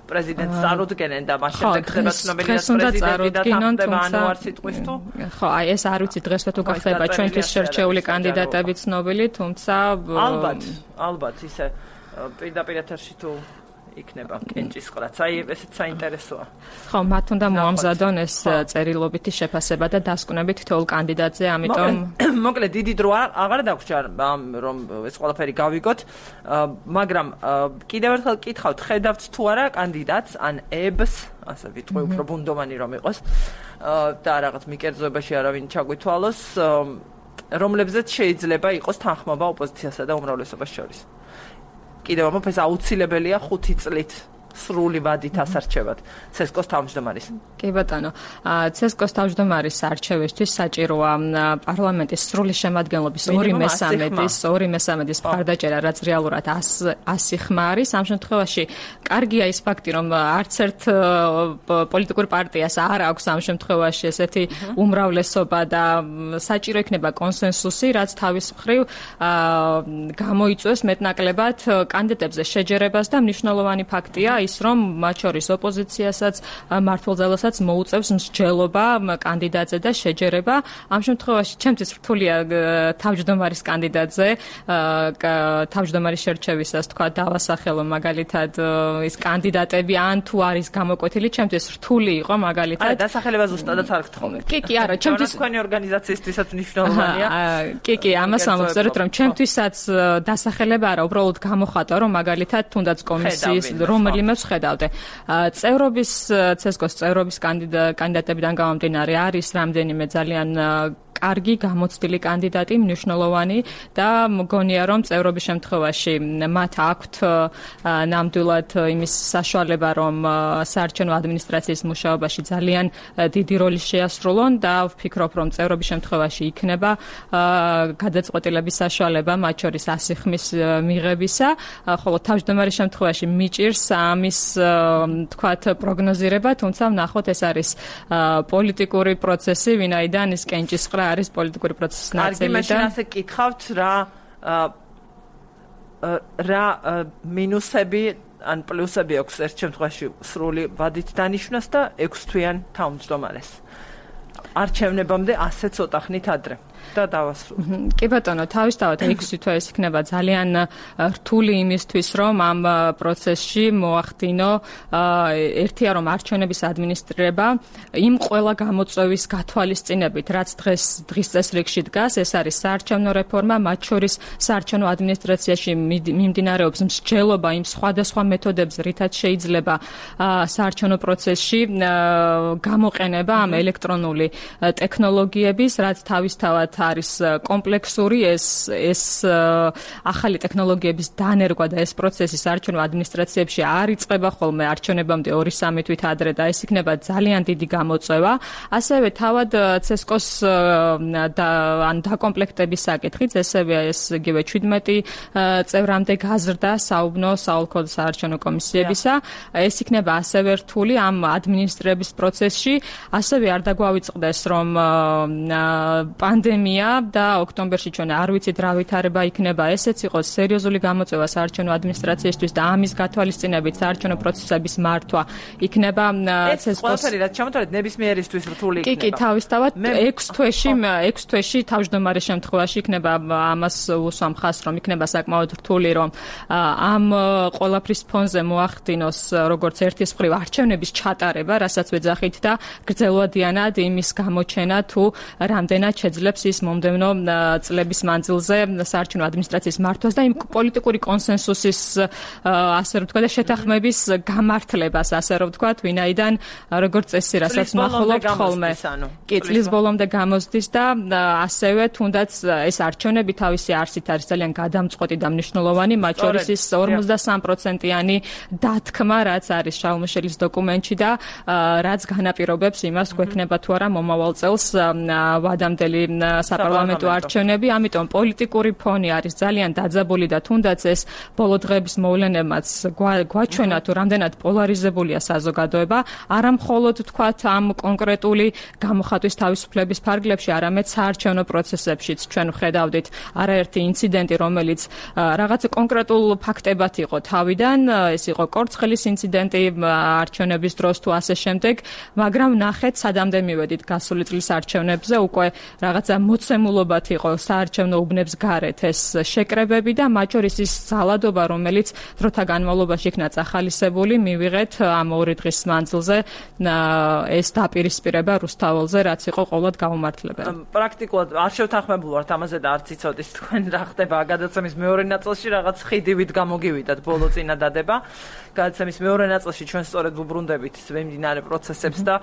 პრეზიდენტს წარუდგენენ და მას შემდეგ ხდება ცნობილი პრეზიდენტი და თანხდება ანუ არ სიტყვის თუ? ხო, აი ეს არ ვიცი დღესვე თუ გახდება ჩვენთვის შერჩეული კანდიდატები ცნობილი, თუმცა ალბათ ისე პირდაპირ ეთერში თუ იქნება კენჭის ყრაც. აი ესეც საინტერესოა. ხო, მათ უნდა მოამზადონ ეს წერილობითი შეფასება და დასკვნებით თითოეულ კანდიდატზე, ამიტომ მოკლედ დიდი დრო აღარ დაგვრჩა რომ ეს ყველაფერი გავიგოთ, მაგრამ კიდევ ერთხელ კითხავთ, ხედავთ თუ არა კანდიდატს ან ებს, ასე ვიტყვი უფრო ბუნდოვანი რომ იყოს და რაღაც მიკერძოებაში არავინ ჩაგვითვალოს, რომლებზეც შეიძლება იყოს თანხმობა ოპოზიციასა და უმრავლესობას შორის. კიდევ ამბობ, ეს აუცილებელია 5 წლით სრული ვადით ასარჩევად ცესკოს თავმჯდომარის. კი ბატონო, ცესკოს თავმჯდომარის არჩევისთვის საჭიროა პარლამენტის სრული შემადგენლობის 2/3 მხარდაჭერა, რაც რეალურად 100 ხმა არის. ამ შემთხვევაში კარგია ის ფაქტი, რომ არც ერთ პოლიტიკურ პარტიას არ აქვს ამ შემთხვევაში ესეთი უმრავლესობა და საჭირო იქნება კონსენსუსი, რაც თავის მხრივ გამოიწვევს მეტნაკლებად კანდიდატებზე შეჯერებას და მნიშვნელოვანი ფაქტია ის რომ მათ შორის ოპოზიციასაც მართლმსაჯულსაც მოუწევს მსჯელობა კანდიდატზე და შეჯერება. ამ შემთხვევაში ჩემთვის რთულია თავმჯდომარის კანდიდატზე თავმჯდომარის შერჩევისას თქვა დავასახელო მაგალითად ის კანდიდატები ან თუ არის გამოკვეთილი, ჩემთვის რთული იყო მაგალითად. არა, დასახელება ზუსტადაც არ გთხოვეთ. კი, არა, ჩემთვის თქვენი ორგანიზაციისთვისაც მნიშვნელოვანია. კი, ამას ამოვწეროთ, რომ ჩემთვისაც დასახელება არა, უბრალოდ გამოხატა, რომ მაგალითად თუნდაც კომისიის რომელიმე ვხედავდე. წევრობის CSGO-ს წევრობის კანდიდატებიდან გამომდინარე არის რამდენიმე ძალიან კარგი გამოცდილი კანდიდატი, მნიშვნელოვანი და მგონია რომ წევრობის შემთხვევაში მათ აქვთ ნამდვილად იმის საშუალება რომ საარჩევნო ადმინისტრაციის მუშაობაში ძალიან დიდი როლი შეასრულონ და ვფიქრობ რომ წევრობის შემთხვევაში იქნება გადაწყვეტილების საშუალება მათ შორის 100 ხმის მიღებისა, ხოლო თავმჯდომარის შემთხვევაში მიჭირს ამის თქვათ პროგნოზირება, თუმცა ვნახოთ ეს არის პოლიტიკური პროცესი, ვინაიდან ის კენჭისყრა არის პოლიტიკური პროცესის ნაწილი და მაშინ ასე კითხავთ რა მინუსები ან პლუსები აქვს ერთ შემთხვევაში სრული ვადით დანიშნას და 6 თვიან თავმჯდომარეს არჩევნებამდე ასე ცოტა ხნით ადრე და დავასრულოთ. კი ბატონო, თავისთავად 6 თვე ეს იქნება ძალიან რთული იმისთვის, რომ ამ პროცესში მოახდინო ერთია რომ არჩევნების ადმინისტრირება იმ ყველა გამოწვევის გათვალისწინებით, რაც დღის წესრიგში დგას, ეს არის საარჩევნო რეფორმა, მათ შორის საარჩევნო ადმინისტრაციაში მიმდინარეობს მსჯელობა იმ სხვადასხვა მეთოდებზე, რითაც შეიძლება საარჩევნო პროცესში გამოყენება ამ ელექტრონული ტექნოლოგიების, რაც თავისთავად არის კომპლექსური ეს ახალი ტექნოლოგიების დანერგვა და ეს პროცესი საარჩევნო ადმინისტრაციებში არ იწყება ხოლმე არჩევნებამდე 2-3 თვით ადრე და ეს იქნება ძალიან დიდი გამოწვევა. ასევე თავად CSGO-ს ან დაკომპლექტების საკითხიც ესევე ეს იგივე 17 წევრამდე გაზრდა საუბნო საოლქო საარჩევნო კომისიებისა. ეს იქნება ასევე რთული ამ ადმინისტრების პროცესში. ასევე არ დაგვავიწყდეს რომ პანდემია და ოქტომბერში ჩვენ არ ვიცით რა ვითარება იქნება, ესეც იყოს სერიოზული გამოწვევა საარჩევნო ადმინისტრაციისთვის და ამის გათვალისწინებით საარჩევნო პროცესების მართვა იქნება CSGO-ს ყველაფერი რაც ჩამოთვალეთ ნებისმიერისთვის რთული იქნება. კი, თავისთავად 6 თვეში თავმჯდომარის შემთხვევაში იქნება ამას უსვამ ხაზს რომ იქნება საკმაოდ რთული რომ ამ ყველაფრის ფონზე მოახდინოს როგორც ერთის მხრივ არჩევნების ჩატარება, რასაც ვეძახით და გრძელვადიანად იმის გამოჩენა თუ რამდენად შეძლებს ის მომდევნო წლების მანძილზე საარჩევნო ადმინისტრაციის მართვას და იმ პოლიტიკური კონსენსუსის ასე რომ ვთქვა და შეთანხმების გამართლებას ასე რომ ვთქვა, ვინაიდან როგორც წესი რასაც ნახულობთ ხოლმე. კი, წლის ბოლომდე გამოსდის და ასევე თუნდაც ეს არჩევნები თავისი არსით არის ძალიან გადამწყვეტი და მნიშვნელოვანი, მათ შორის ის 53%-იანი დათქმა, რაც არის შალმუშელის დოკუმენტში და რაც განაპირობებს იმას, გვექნება თუ არა მომავალ წელს ვადამდელი საპარლამენტო არჩევნები, ამიტომ პოლიტიკური ფონი არის ძალიან დაძაბული და თუნდაც ეს ბოლო დღეების მოვლენებმაც გვაჩვენა თუ რამდენად პოლარიზებულია საზოგადოება, არა მხოლოდ თქვათ ამ კონკრეტული გამოხატვის თავისუფლების ფარგლებში, არამედ საარჩევნო პროცესებშიც ჩვენ ვხედავდით არაერთი ინციდენტი, რომელიც რაღაც კონკრეტულ ფაქტებად იყო თავიდან, ეს იყო კორცხელის ინციდენტი არჩევნების დროს თუ ასე შემდეგ, მაგრამ ნახეთ სადამდე მივედით გასული წლის არჩევნებზე, უკვე რაღაცა მოცემულობად იყო საარჩევნო უბნებს გარეთ ეს შეკრებები და მათ შორის ის ძალადობა, რომელიც დროთა განმავლობაში იქნა წახალისებული, მივიღეთ ამ 2 დღის მანძილზე ეს დაპირისპირება რუსთაველზე, რაც იყო ყოველად გაუმართლებელი. პრაქტიკულად არ შევთანხმებულ ვართ ამაზე და არც იცოდით თქვენ რა ხდება გადაცემის მეორე ნაწილში, რაღაც ხიდივით გამოგივიდათ ბოლო წინადადება. გადაცემის მეორე ნაწილში ჩვენ სწორედ ვუბრუნდებით მიმდინარე პროცესებს და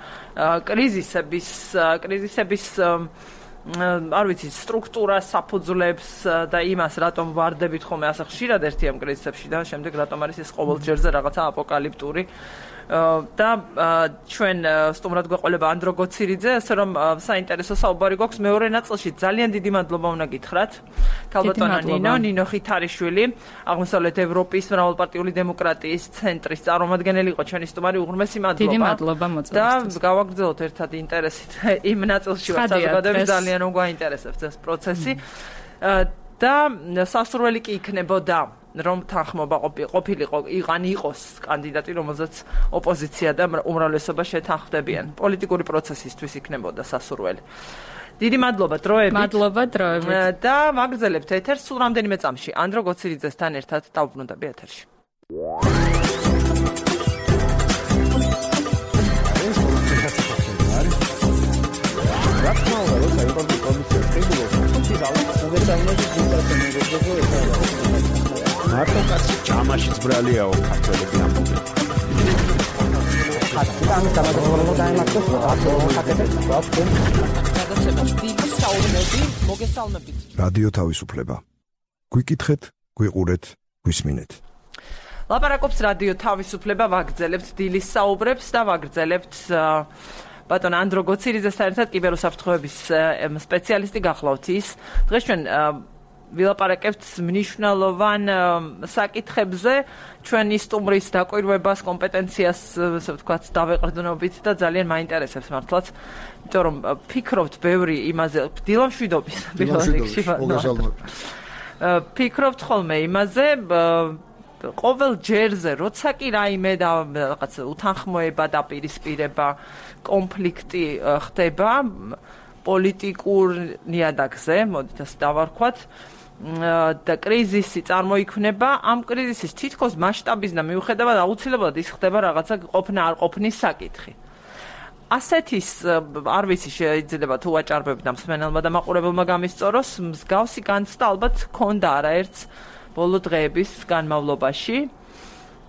კრიზისების არ ვიცი, სტრუქტურას, საფუძვლებს და იმას, რატომ ვარდებით ხოლმე ასე ხშირად ერთი ამ კრიზისებში და შემდეგ რატომ არის ეს ყოველჯერზე რაღაცა აპოკალიფტური და ჩვენ სტუმრად გვეყოლება ანდრო გოცირიძე, ასე რომ საინტერესო საუბარი გვაქვს მეორე ნაწილში. ძალიან დიდი მადლობა უნდა გითხრათ. ქალბატონო ნინო ხითარიშვილი, აღმოსავლეთ ევროპის მრავალპარტიული დემოკრატიის ცენტრის წარმომადგენელი იყო ჩვენი სტუმარი, უღრმესი მადლობა. დიდი მადლობა მოწვევისთვის. და გავაგრძელოთ ერთად ინტერესით იმ ნაწილში, რაც საზოგადოებას ძალიან გვაინტერესებს ეს პროცესი. და სასურველი კი იქნებოდა რომ თანხმობა ყოფილიყო იყოს კანდიდატი, რომელზეც ოპოზიცია და უმრავლესობა შეთანხმდებიან. პოლიტიკური პროცესისთვის იქნებოდა სასურველი. დიდი მადლობა დროებით. მადლობა დროებით. და ვაგრძელებთ ეთერს სულ რამდენიმე წამში. ანდრო გოცირიძესთან ერთად დავბრუნდები ეთერში. მარტო კაცი ჭამაშიც ბრალიაო ქართველები ამბობენ. რადიო თავისუფლება. გვიკითხეთ, გვიყურეთ, გვისმინეთ. ლაპარაკობს რადიო თავისუფლება, ვაგრძელებთ დილის საუბრებს და ვაგრძელებთ ბატონ ანდრო გოცირიძესთან ერთად კიბერუსაფრთხოების სპეციალისტი გახლავთ ის. დღეს ჩვენ ვილაპარაკებთ მნიშვნელოვან საკითხებზე, ჩვენი სტუმრის დაკვირვებას, კომპეტენციას, ასე ვთქვათ, დავეყრდნობით და ძალიან მაინტერესებს მართლაც, იმიტომ რომ ფიქრობთ ბევრი იმაზე, დილამშვიდობის პირველ რიგში. ფიქრობთ ხოლმე იმაზე, ყოველ ჯერზე, როცა კი რაიმე და რაღაც უთანხმოება და პირისპირება, კონფლიქტი ხდება პოლიტიკურ ნიადაგზე, მოდით ასე დავარქვათ, და კრიზისი წარმოიქმნება, ამ კრიზისის თითქოს მასშტაბის და მიუხედავად აუცილებლად ის ხდება რაღაცა ყოფნა არ ყოფნის საკითხი. ასეთის არ ვიცი შეიძლება თუ ვაჭარბებ და მსმენელმა და მაყურებელმა გამისწოროს, მსგავსი განცდა ალბათ ჰქონდა არაერთს ბოლო დღეების განმავლობაში.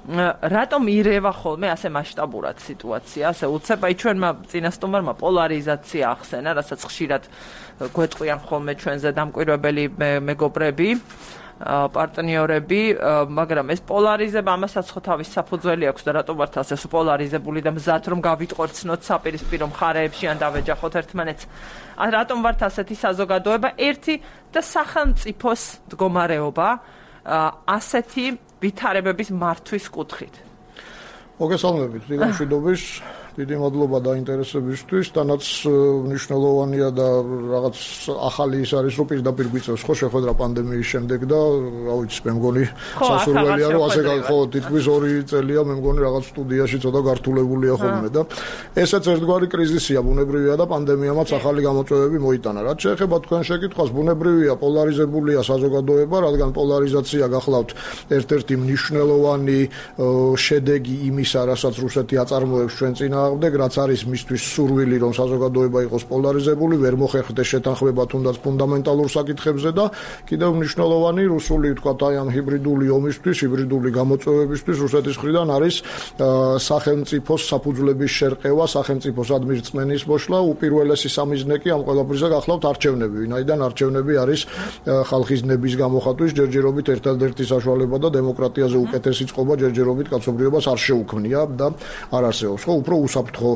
რატომ ირევა ხოლმე ასე მასშტაბურად სიტუაცია, ასე უცებ, აი ჩვენმა წინასწარმოებმა პოლარიზაცია ახსენა, რასაც ხშირად გვეტყვიან ხოლმე ჩვენზე დამკვირვებელი მეგობრები, პარტნიორები, მაგრამ ეს პოლარიზება ამასაც ხო თავის საფუძველი აქვს და რატომ ვართ ასე პოლარიზებული და მზად რომ გავიტყორცნოთ საპირისპირო მხარეებში ან დავეჯახოთ ერთმანეთს. რატომ ვართ ასეთი საზოგადოება, ერთი და სახელმწიფოს მდგომარეობა ასეთი ვითარებების მართვის კუთხით. მოგესალმებით, დილამშვიდობის, დიდი მადლობა დაინტერესებისთვის, თანაც მნიშვნელოვანია და რაღაც ახალი ის არის, რომ პირდაპირ გვიწევს ხო შეხვედრა პანდემიის შემდეგ და რა ვიცი, მე მგონი სასურველია, რომ ასე ხო თითქმის 2 წელია მე მგონი რაღაც სტუდიაში ცოტა გართულებულია ხოლმე და ესეც ერთგვარი კრიზისია, ბუნებრივია და პანდემიამაც ახალი გამოწვევები მოიტანა. რაც შეეხება თქვენ შეკითხვას, ბუნებრივია, პოლარიზებულია საზოგადოება, რადგან პოლარიზაცია გახლავთ ერთ-ერთი მნიშვნელოვანი შედეგი იმისა, რასაც რუსეთი აწარმოებს ჩვენ წინა რაც არის მისთვის სურვილი, რომ საზოგადოება იყოს პოლარიზებული, ვერ მოხერხდეს შეთანხმება თუნდაც ფუნდამენტალურ საკითხებზე და კიდევ მნიშვნელოვანი რუსული, ვთქვათ, აი ამ ჰიბრიდული ომისთვის, ჰიბრიდული გამოწვევებისთვის რუსეთის მხრიდან არის სახელმწიფოს საფუძვლების შერყევა, სახელმწიფოს ადმირწმენის მოშლა, უპირველესი სამიზნე კი ამ ყველაფერზე გახლავთ არჩევნები, ვინაიდან არჩევნები არის ხალხის ნების გამოხატვის ჯერჯერობით ერთადერთი საშუალება და დემოკრატიაზე უკეთესი წყობა ჯერჯერობით კაცობრიობას არ შეუქმნია და არ არსებობს. ხო, უფრო უსაფრთხო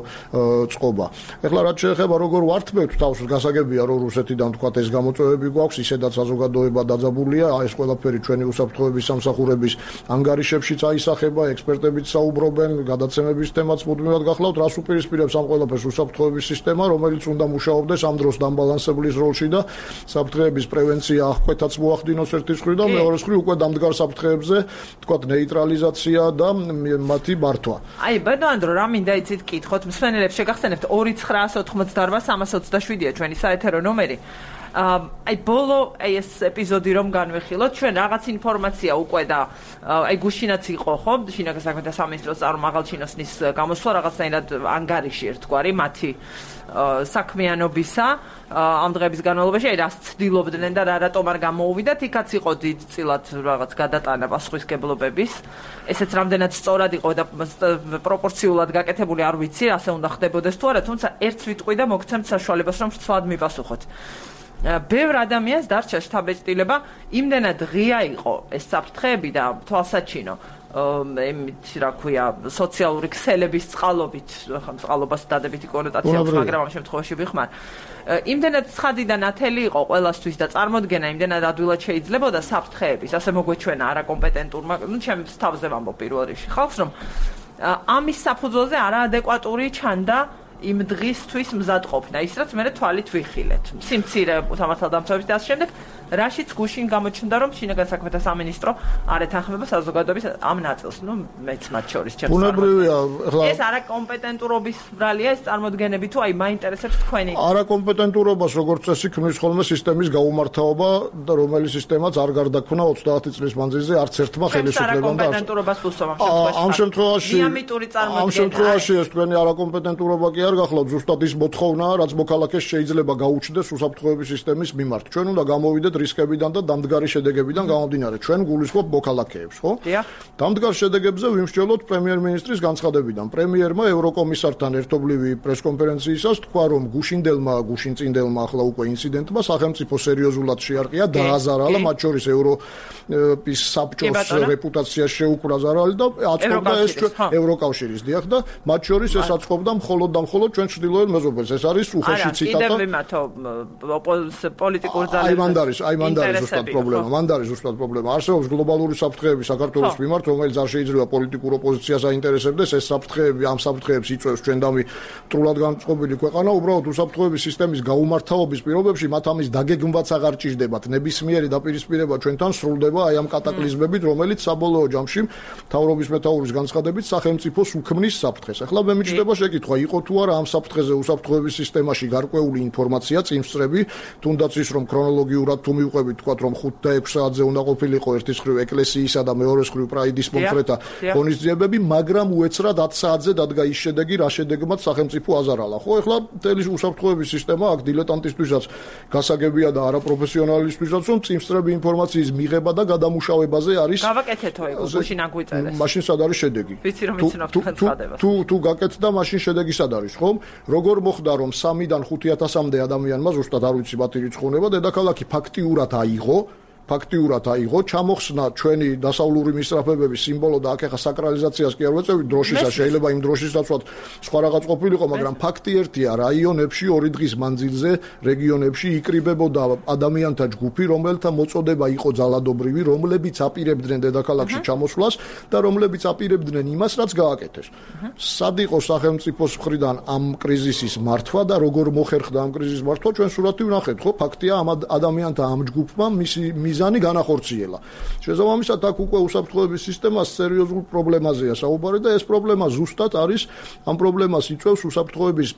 წყობა. ეხლა რაც შეეხება როგორ ვართმევთ თავს, გასაგებია რომ რუსეთიდან თქვათ ეს გამოწვევები გვაქვს, ისედაც საზოგადოება დაძაბულია, ეს ყველაფერი ჩვენი უსაფრთხოების სამსახურების ანგარიშებშიც აისახება, ექსპერტებიც საუბრობენ, გადაცემების თემაც მუდმივად გახლავთ, რას უპირისპირებს ამ ყველაფერს უსაფრთხოების სისტემა, რომელიც უნდა მუშაობდეს ამ დროს დამბალანსებლის როლში და საფრთხეების პრევენცია აღკვეთაც მოახდინოს ერთის მხრივ და მეორეს მხრივ უკვე დამდგარ საფრთხეებზე, თქვათ, ნეიტრალიზაცია და მათი მართვა. აი, ბატონო ანდრო, რა მინდა იცით კითხოთ, მსმენელებს შეგახსენებთ 2988-327-ია ჩვენი საეთერო ნომერი. აი ბოლო ეს ეპიზოდი რომ განვიხილოთ, ჩვენ რაღაც ინფორმაცია უკვე და აი გუშინაც იყო ხო, შინაგან საქმეთა სამინისტროს წარმომაღალჩინოსნის გამოსვლა რაღაცნაირად ანგარიში ერთგვარი მათი საქმიანობისა ამ დღეების განმავლობაში, აი რას ცდილობდნენ და რატომ არ გამოუვიდათ, იქაც იყო დიდწილად რაღაც გადატანა პასუხისმგებლობების. ესეც რამდენად სწორად იყო და პროპორციულად გაკეთებული არ ვიცი, ასე უნდა ხდებოდეს თუ არა, თუმცა ერთს ვიტყვი და მოგცემთ საშუალებას რომ ცვლად მიპასუხოთ. ბევრ ადამიანს დარჩა შთაბეჭდილება, იმდენად ღია იყო ეს საფრთხეები და თვალსაჩინო იმით რა ქვია სოციალური ქსელების წყალობით, ხა წყალობას დადებითი კონოტაცია აქვს, მაგრამ ამ შემთხვევაში ვიხმარ. იმდენად ცხადიდან ათელი იყო ყველასთვის და წარმოდგენა იმდენად ადვილად შეიძლებოდა საფრთხეების, ასე მოგვეჩვენა არაკომპეტენტურმა, ну ჩემს თავზე ვამბობ პირველ რიგში ხალხს, რომ ამის საფუძველზე არაადეკვატური ჩანდა იმ დღისთვის მზად ყოფნა, ის რაც მე თვალით ვიხილეთ. სიმცირე სამართალდამცავების და ამ შემდეგ რაშიც გუშინ გამოჩნდა რომ შინაგან საქმეთა სამინისტრო არ ეთანხმება საზოგადოების ამ ნაწილს, მეც მათ შორის ჩემს. ბუნებრივია, ახლა ეს არაკომპეტენტურობის ბრალია, ეს წარმოდგენები თუ მაინტერესებს თქვენი. არაკომპეტენტურობას როგორც წესი ქმნის ხოლმე სისტემის გაუმართავობა და რომელიც სისტემაც არ გარდაქმნა 30 წლის მანძილზე არც ერთმა ხელისუფლებამ და არაკომპეტენტურობას ვუსვამ ამ შემთხვევაში დიამეტური წარმოდგენა. ამ შემთხვევაში ეს თქვენი არაკომპეტენტურობა კი არ გახლავთ, ზუსტად ის მოთხოვნაა, რაც მოქალაქეს შეიძლება გაუჩნდეს უსაფრთხოების სისტემის მიმართ. ჩვენ უნდა გამოვიდეთ რისკებიდან და დამდგარი შედეგებიდან გამომდინარე. ჩვენ გულისხმობ მოქალაქეებს, ხო? დამდგარ შედეგებზე ვიმსჯელოთ პრემიერ-მინისტრის განცხადებიდან. პრემიერმა ევროკომისართან ერთობლივი პრესკონფერენციისას თქვა, რომ გუშინწინდელმა ახლა უკვე ინციდენტმა სახელმწიფო სერიოზულად შეარყია, დააზარალა, მათ შორის ევროპის საბჭოს რეპუტაციას შეუქმნა ზარალი და აწყობდა ეს ევროკავშირის დიახ და მათ შორის ეს აწყობდა მხოლოდ და მხოლოდ ჩვენ ჩრდილოეთ მეზობელს. ეს არის უხეში ციტატა. კიდევ ვიმართო პოლიტიკურ ძალებს. აი მანდ არის ზუსტად პრობლემა. მანდ არის ზუსტად პრობლემა. არსებობს გლობალური საფრთხეები საქართველოს მიმართ, რომელიც არ შეიძლება პოლიტიკურ ოპოზიციას აინტერესებდეს. ეს საფრთხეები, ამ საფრთხეებს იწვევს ჩვენდამი მტრულად განწყობილი ქვეყანა. უბრალოდ უსაფრთხოების სისტემის გაუმართავობის პირობებში მათ ამის დაგეგმვაც აღარ ჭირდებათ. ნებისმიერი დაპირისპირება ჩვენთან სრულდება აი ამ კატაკლიზმებით, რომელიც საბოლოო ჯამში მთავრობის მეთაურის განცხადებით სახელმწიფოს უქმნის საფრთხეს. ახლა მე მიჩნდება შეკითხვა, იყო თუ არა ამ საფრთხეზე უსაფრთხოების სისტემაში გარკვეული ინფორმაცია, წინსწრები, თუნდაც ის რომ ქრონოლოგიურად თუ მივყვებით, თქვათ რომ 5 და 6 საათზე უნდა ყოფილიყო ერთის მხრივ ეკლესიისა და მეორეს მხრივ პრაიდის მომხრეთა ღონისძიებები, მაგრამ უეცრად 10 საათზე დადგა ის შედეგი, რა შედეგმაც სახელმწიფო აზარალა. ხო, ახლა მთელი უსაფრთხოების სისტემა აქ დილეტანტისთვისაც გასაგებია და არაპროფესიონალისთვისაც რომ წინსწრები ინფორმაციის მიღება და გადამუშავებაზე არის. გავაკეთეთო ეგ გუშინ აგვიწერეს. მაშინ სად არის შედეგი? ვიცი რომ ვიცნობ განცხადებას. თუ გაკეთდა, მაშინ შედეგი სად არის, ხო? როგორ მოხდა რომ 3-დან 5,000-მდე ადამიანმა ზუსტად არ ვიცი მათი რიცხონება დედაქალაქი ფაქტიურად აიღო, ჩამოხსნა ჩვენი დასავლური მისწრაფებების სიმბოლო და აქ ახლა საკრალიზაციას კი არ ვეწევით დროშისა, შეიძლება იმ დროშისაცვად სხვა რაღაც ყოფილიყო, მაგრამ ფაქტი ერთია, რაიონებში 2 დღის მანძილზე რეგიონებში იკრიბებოდა ადამიანთა ჯგუფი, რომელთა მოწოდება იყო ძალადობრივი, რომლებიც აპირებდნენ დედაქალაქში ჩამოსვლას და რომლებიც აპირებდნენ იმას, რაც გააკეთეს. სად იყო სახელმწიფოს მხრიდან ამ კრიზისის მართვა და როგორ მოხერხდა ამ კრიზისის მართვა, ჩვენ სურათი ვნახეთ, ხო? ფაქტია, ამ ადამიანთა ამ ჯგუფმა მიზანი განახორციელა. შესაბამისად, აქ უკვე უსაფრთხოების სისტემას სერიოზულ პრობლემაზეა საუბარი და ეს პრობლემა ზუსტად არის ამ პრობლემას იწვევს უსაფრთხოების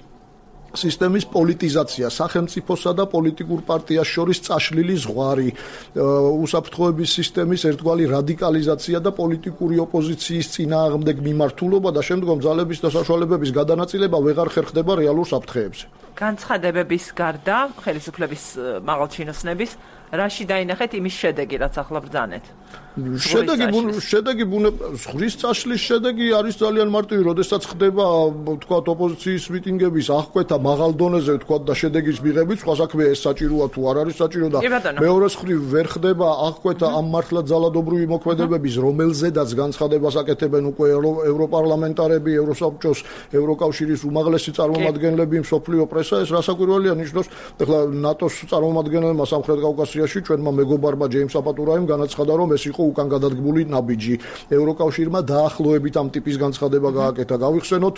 სისტემის პოლიტიზაცია, სახელმწიფოსა და პოლიტიკურ პარტიას შორის წაშლილი ზღვარი, უსაფრთხოების სისტემის ერთგვარი რადიკალიზაცია და პოლიტიკური ოპოზიციის წინააღმდეგ მიმართულობა და შემდგომ ძალების და საშუალებების გადანაწილება ვეღარ ხერხდება რეალურ საფრთხეებზე. განცხადებების გარდა, ხელისუფლების მაღალჩინოსნების რაში დაინახეთ იმის შედეგი, რაც ახლა ბრძანეთ? შედეგი ზღვის წაშლის შედეგი არის ძალიან მარტივი, როდესაც ხდება, თქვათ, ოპოზიციის მიტინგების აღკვეთა მაღალ დონეზე, თქვათ, და შედეგის მიღებით, სხვა საქმეა ეს საჭიროა თუ არ არის საჭირო და მეორეს მხრივ ვერ ხდება აღკვეთა ამ მართლაც ძალადობრივი მოქმედებების, რომელზედაც განცხადებას აკეთებენ უკვე ევროპარლამენტარები, ევროსაბჭოს, ევროკავშირის უმაღლესი წარმომადგენლები, მსოფლიო პრესა, ეს რასაკვირველია ნიშნავს, ახლა ნატოს წარმომადგენლებმა სამხრეთ კავკასიაში ჩვენმა მეგობარმა ჯეიმს აპატურაიმ განაცხადა, რომ ეს იყო უკან გადადგმული ნაბიჯი. ევროკავშირმა დაახლოებით ამ ტიპის განცხადება გააკეთა. გავიხსენოთ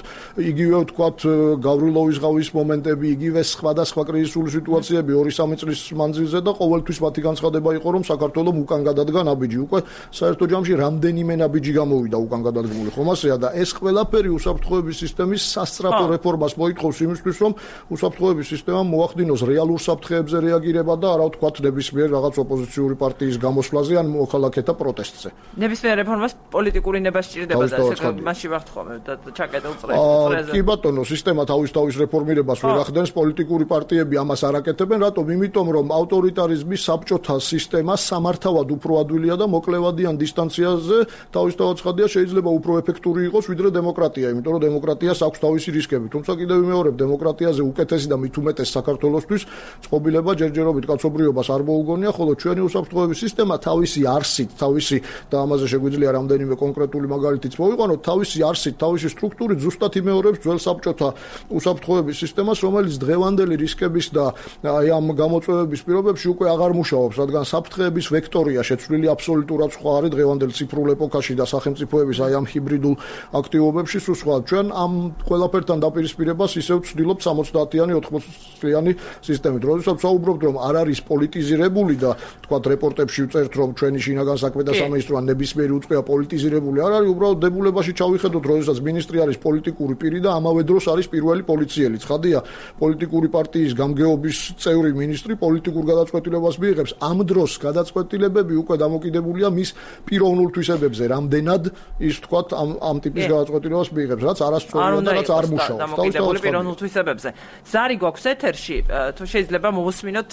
იგივე ვთქვათ გავრილოვის ღავის მომენტები, იგივე სხვადასხვა კრიზისული სიტუაციები 2-3 წლის მანძილზე და ყოველთვის მათი განცხადება იყო, რომ საქართველოს უკან გადადგა ნაბიჯი. უკვე საერთო ჯამში რამდენიმე ნაბიჯი გამოვიდა უკან გადადგმული, ხომ ასეა და ეს ყველაფერი უსაფრთხოების სისტემის სასწრაფო რეფორმას მოითხოვს იმისთვის, რომ უსაფრთხოების სისტემამ მოახდინოს რეალურ საფრთხეებზე რეაგირება და არა ვთქვათ ნებისმიერ რაღაც ოპოზიციური პარტიის გამოსვლაზე ან მოქალაქეთა პროტესტზე. ნებისმიერ რეფორმას პოლიტიკური ნება სჭირდება და ესე მასში ვართ ხოლმე და ჩაკეტილ წრეზე. კი ბატონო, სისტემა თავის რეფორმირებას ვერ ახდენს, პოლიტიკური პარტიები ამას არ აკეთებენ, რატომ? იმიტომ რომ ავტორიტარიზმის საბჭოთა სისტემა სამართავად უფრო ადვილია და მოკლევადიან დისტანციაზე თავისთავად ცხადია, შეიძლება უფრო ეფექტური იყოს ვიდრე დემოკრატია, იმიტომ რომ დემოკრატიას აქვს თავისი რისკები. თუმცა კიდევ ვიმეორებ, დემოკრატიაზე უკეთესი და მით უმეტეს საქართველოსთვის წყობილება ჯერჯერობით კაცობრიობას არ მოუგონია, ხოლო ჩვენი უსაფრთხოების სისტემა თავისი არსით, თავისი და ამაზე შეგვიძლია რამდენიმე კონკრეტული მაგალითიც მოვიყვანოთ, თავისი არსით, თავისი სტრუქტურით ზუსტად იმეორებს ძველ საბჭოთა უსაფრთხოების სისტემას, რომელიც დღევანდელი რისკების და აი ამ გამოწვევების პირობებში უკვე აღარ მუშაობს, რადგან საფრთხეების ვექტორია შეცვლილი აბსოლუტურად სხვა არის დღევანდელ ციფრულ ეპოქაში და სახელმწიფოების აი ამ ჰიბრიდულ აქტივობებში სულ სხვა. ჩვენ ამ ყველაფერთან დაპირისპირებას ისევ ვცდილობთ 70-იანი 80-წლიანი სისტემით. როდესაც საუბრობთ რომ არ არის პოლიტიზირებული და თქვათ რეპორტებში ვწერთ რომ ჩვენი შინაგან საქმეთა სამინისტრო ან ნებისმიერი უწყება პოლიტიზირებული არ არის, უბრალოდ დებულებაში ჩავიხედოთ, როდესაც მინისტრი არის პოლიტიკური პირი და ამავე დროს არის პირველი პოლიციელი. ცხადია, პოლიტიკური პარტიის გამგეობის წევრი მინისტრი პოლიტიკურ გადაწყვეტილებას მიიღებს. ამ დროს გადაწყვეტილებები უკვე დამოკიდებულია მის პიროვნულ თვისებებზე, რამდენად ის თქვათ ამ ტიპის გადაწყვეტილებას მიიღებს, რაც არასწორია და რაც არ მუშაობს. დამოკიდებული პიროვნულ თვისებებზე. ზარი გვაქვს ეთერში, თუ შეიძლება მოვუსმინოთ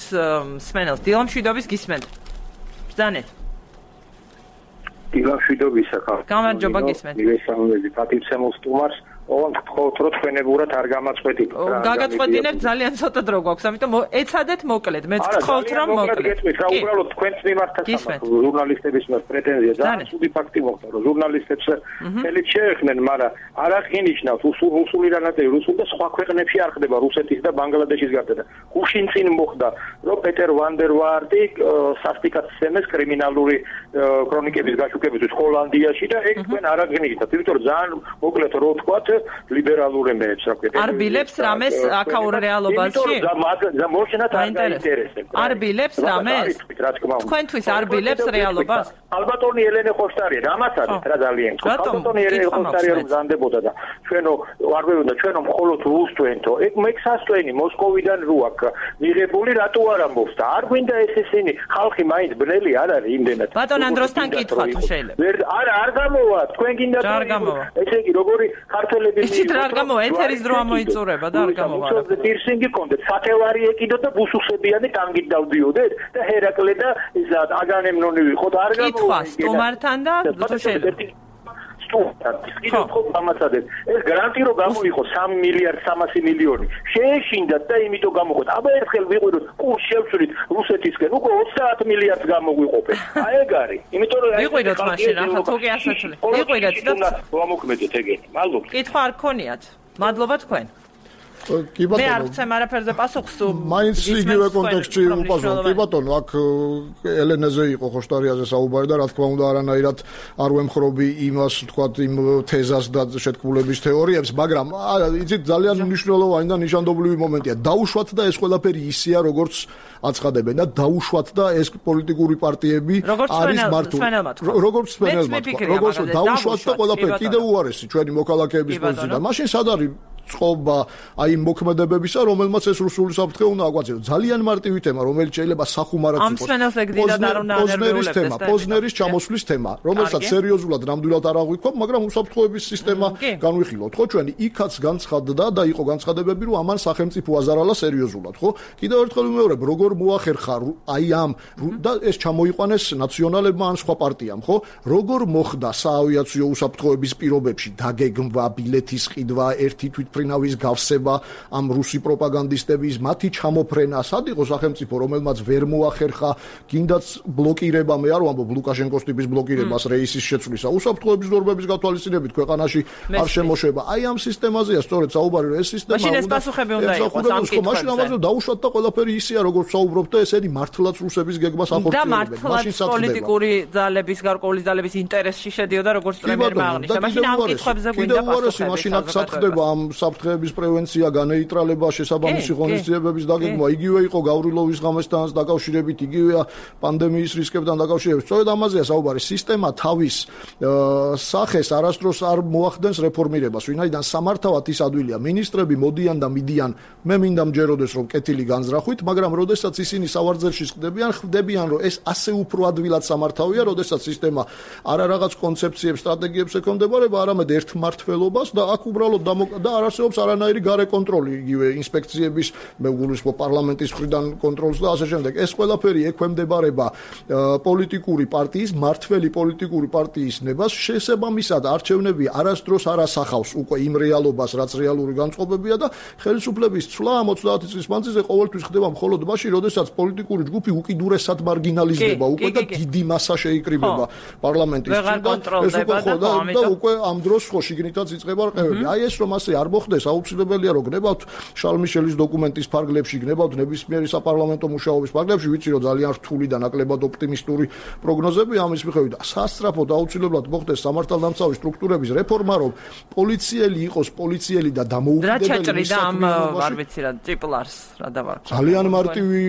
მსმენელს. დილამშვიდობის გისმენთ. ბრძანეთ. დილამშვიდობისა ხალხო. გამარჯობა გისმენთ. მივესალმები პატივცემულ სტუმარს. ოღონდ რო თქვენებურად არ გამაწყვეტით. გაგაწყვეტინებთ ძალიან ცოტა დრო გვაქვს, ამიტომ ეცადეთ მოკლედ. მეც გთხოვთ რომ მოკლედ. გეტყვით რა უბრალოდ თქვენს მიმართაც ჟურნალისტების მიმართ პრეტენზია ძალიან ცუდი ფაქტი მოხდა, რომ ჟურნალისტებს ხელით შეეხნენ, მაგრამ არ აღინიშნავთ რუსული რანატები, რუსულ და სხვა ქვეყნებში არ ხდება რუსეთის და ბანგლადეშის გარდა და გუშინ წინ მოხდა, რომ პეტერ ვანდერვარდი სასტიკად სცემეს კრიმინალური ქრონიკების გაშუქებისთვის ჰოლანდიაში და ეგ თქვენ არ აღინიშნავთ, იმიტომ რომ ძალიან მოკლედ რო ვთქვათ ლიბერალურ ემეებს რა ქვია. არ ბილებს რამეს აქაურ რეალობაში? მოშენათ არ დაინტერესებს. არ ბილებს რამეს? თქვენთვის არ ბილებს რეალობას? ალბათონი ელენე ხოშტარია, რამაც არის რა ძალიან. ალბათონი ელენე ხოშტარია რომ ზანდებოდა და ჩვენო არ ვეუბნებოდა ჩვენო მხოლოდ რუსთვენთო. ეგ მექსასტვენი მოსკოვიდან რო აქ მიღებული რატო არ ამბობს და არ გვინდა ეს ისინი ხალხი მაინც ბნელი არ არის იმდენად. ბატონ ანდროსთან კითხვა თუ შეიძლება. არ გამოვა, თქვენ გინდა ესე იგი როგორი ქართველები იცით რა არ გამოვა, ეთერის დრო ამოიწურება და არ გამოვა. პირსინგი კონდეთ, სათევარი ეკიდო და ბუსუსებიანი ტანგით დავდიოდეთ და ჰერაკლე და ისა აგანემნონი ვიყო და არ გამოვა. კითხვა სტუმართან და შეიძლება ეს გარანტი რომ გამოიყო 3 მილიარდ 300 მილიონი შეეშინდათ და იმიტომ გამოყოთ. აბა ერთხელ ვიყვიროთ კურს შევცვლით რუსეთისკენ უკვე 30 მილიარდს გამოგვიყოფენ. აი ეგ არის. იმიტომ რომ ვიყვიროთ მაშინ ახლა თუკი ასაცვლე. ვიყვიროთ და ვამოქმედეთ ეგეთი. მადლობა. კითხვა არ გქონიათ. მადლობა თქვენ. კი ბატონო. მე არ ვცემ არაფერზე პასუხს თუ მაინც იგივე კონტექსტში უპასუხო. კი ბატონო, აქ ელენეზე იყო ხოშტარიაზე საუბარი და რა თქმა უნდა არანაირად არ ვემხრობი იმას, თქვათ, იმ თეზას და შეთქმულების თეორიებს, მაგრამ იცით ძალიან მნიშვნელოვანი და ნიშანდობლივი მომენტია. დაუშვათ და ეს ყველაფერი ისეა, როგორც აცხადებენ და დაუშვათ და ეს პოლიტიკური პარტიები არის მართული. როგორც სპენელმა თქვა. როგორც დაუშვათ და ყველაფერი კიდევ უარესი ჩვენი მოქალაქეების პოზიციიდან. მაშინ სად არის წყობა აი მოქმედებებისა, რომელმაც ეს რუსული საფრთხე უნდა აგვაწიოს. ძალიან მარტივი თემა, რომელიც შეიძლება სახუმარად იყოს. ამ სპენელს ეგდიდად არ უნდა ანერგულებს. პოზნერის ჩამოსვლის თემა, რომელსაც სერიოზულად ნამდვილად არ აღვიქვამ, მაგრამ უსაფრთხოების სისტემა განვიხილოთ, ხო, ჩვენი იქაც განცხადდა და იყო განცხადებები, რომ ამან სახელმწიფო აზარალა სერიოზულად, ხო? კიდევ ერთხელ ვიმეორებ, როგორ მოახერხა აი ამ და ეს ჩამოიყვანეს ნაციონალებმა ან სხვა პარტიამ, ხო? როგორ მოხდა საავიაციო უსაფრთხოების პირობებში დაგეგმვა, ბილეთის ყიდვა, ერთი თვითმფრინავის გავსება ამ რუსი პროპაგანდისტების, მათი ჩამოფრენა, სად იყო სახელმწიფო, რომელმაც ვერ მოახერხა, გინდაც ბლოკირება, მე არ ვამბობ ლუკაშენკოს ტიპის ბლოკირებას რეისის შეცვლისა, უსაფრთხოების ნორმების გათვალისწინებით ქვეყანაში არ შემოშება. აი ამ სისტემაზეა სწორედ საუბარი, რომ ეს სისტემა მაშინ ეს პასუხები უნდა იყოს ამ კითხვებზე. მაშინ ამაზე დაუშვათ და ყველაფერი ისეა, როგორც საუბრობთ და ესენი მართლაც რუსების გეგმას ახორციელებენ. მაშინ პოლიტიკური ძალების, გარკვეული ძალების ინტერესში შედიოდა, როგორც პრემიერმა აღნიშნა. მაშინ ამ კითხვებზე გვინდა პასუხები. მაშინ აქ სათხდება ამ საფრთხეების პრევენცია, განეიტრალება, შესაბამისი ღონისძიებების დაგეგმვა, იგივე იყო გავრილოვის ღამესთანაც დაკავშირებით, იგივეა პანდემიის რისკებთან დაკავშირებით. სწორედ ამაზეა საუბარი. სისტემა თავის სახეს არასდროს არ მოახდენს რეფორმირებას. ვინაიდან სამართავად ის ადვილია, მინისტრები მოდიან და მიდიან, მე მინდა მჯეროდეს რომ კეთილი განზრახვით, მაგრამ როდესაც ისინი სავარძელში ხდებიან, ხვდებიან რომ ეს ასე უფრო ადვილად სამართავია, როდესაც სისტემა არა რაღაც კონცეფციებს, სტრატეგიებს ექვემდებარება, არამედ ერთმართველობას და აქ უბრალოდ და არ არსებობს არანაირი გარე კონტროლი, იგივე ინსპექციების, მე გულისხმობ პარლამენტის მხრიდან კონტროლს და ასე შემდეგ. ეს ყველაფერი ექვემდებარება პოლიტიკური პარტიის, მართველი პოლიტიკური პარტიის ნებას, შესაბამისად არჩევნები არასდროს არ ასახავს უკვე იმ რეალობას, რაც რეალური განწყობებია და ხელისუფლების ცვლა 30 წლის მანძილზე ყოველთვის ხდება მხოლოდ მაშინ, როდესაც პოლიტიკური ჯგუფი უკიდურესად მარგინალიზდება უკვე და დიდი მასა შეიკრიბება პარლამენტის წინ და ეს უკვე ხო და უკვე ამ დროს ხო შიგნითაც იწყება რყევები. აი ეს რომ ასე არ მოხდეს, აუცილებელია რომ გნებავთ შარლ მიშელის დოკუმენტის ფარგლებში, გნებავთ ნებისმიერი საპარლამენტო მუშაობის ფარგლებში, ვიცი რომ ძალიან რთული და ნაკლებად ოპტიმისტური პროგნოზები ამის მიხედვით. სასწრაფოდ აუცილებლად მოხდეს სამართალდამცავი სტრუქტურების რეფორმა, რომ პოლიციელი იყოს პოლიციელი და დამოუკიდებელი არ ვიცი რა ტიპლარს რა დავარქვა. ძალიან მარტივი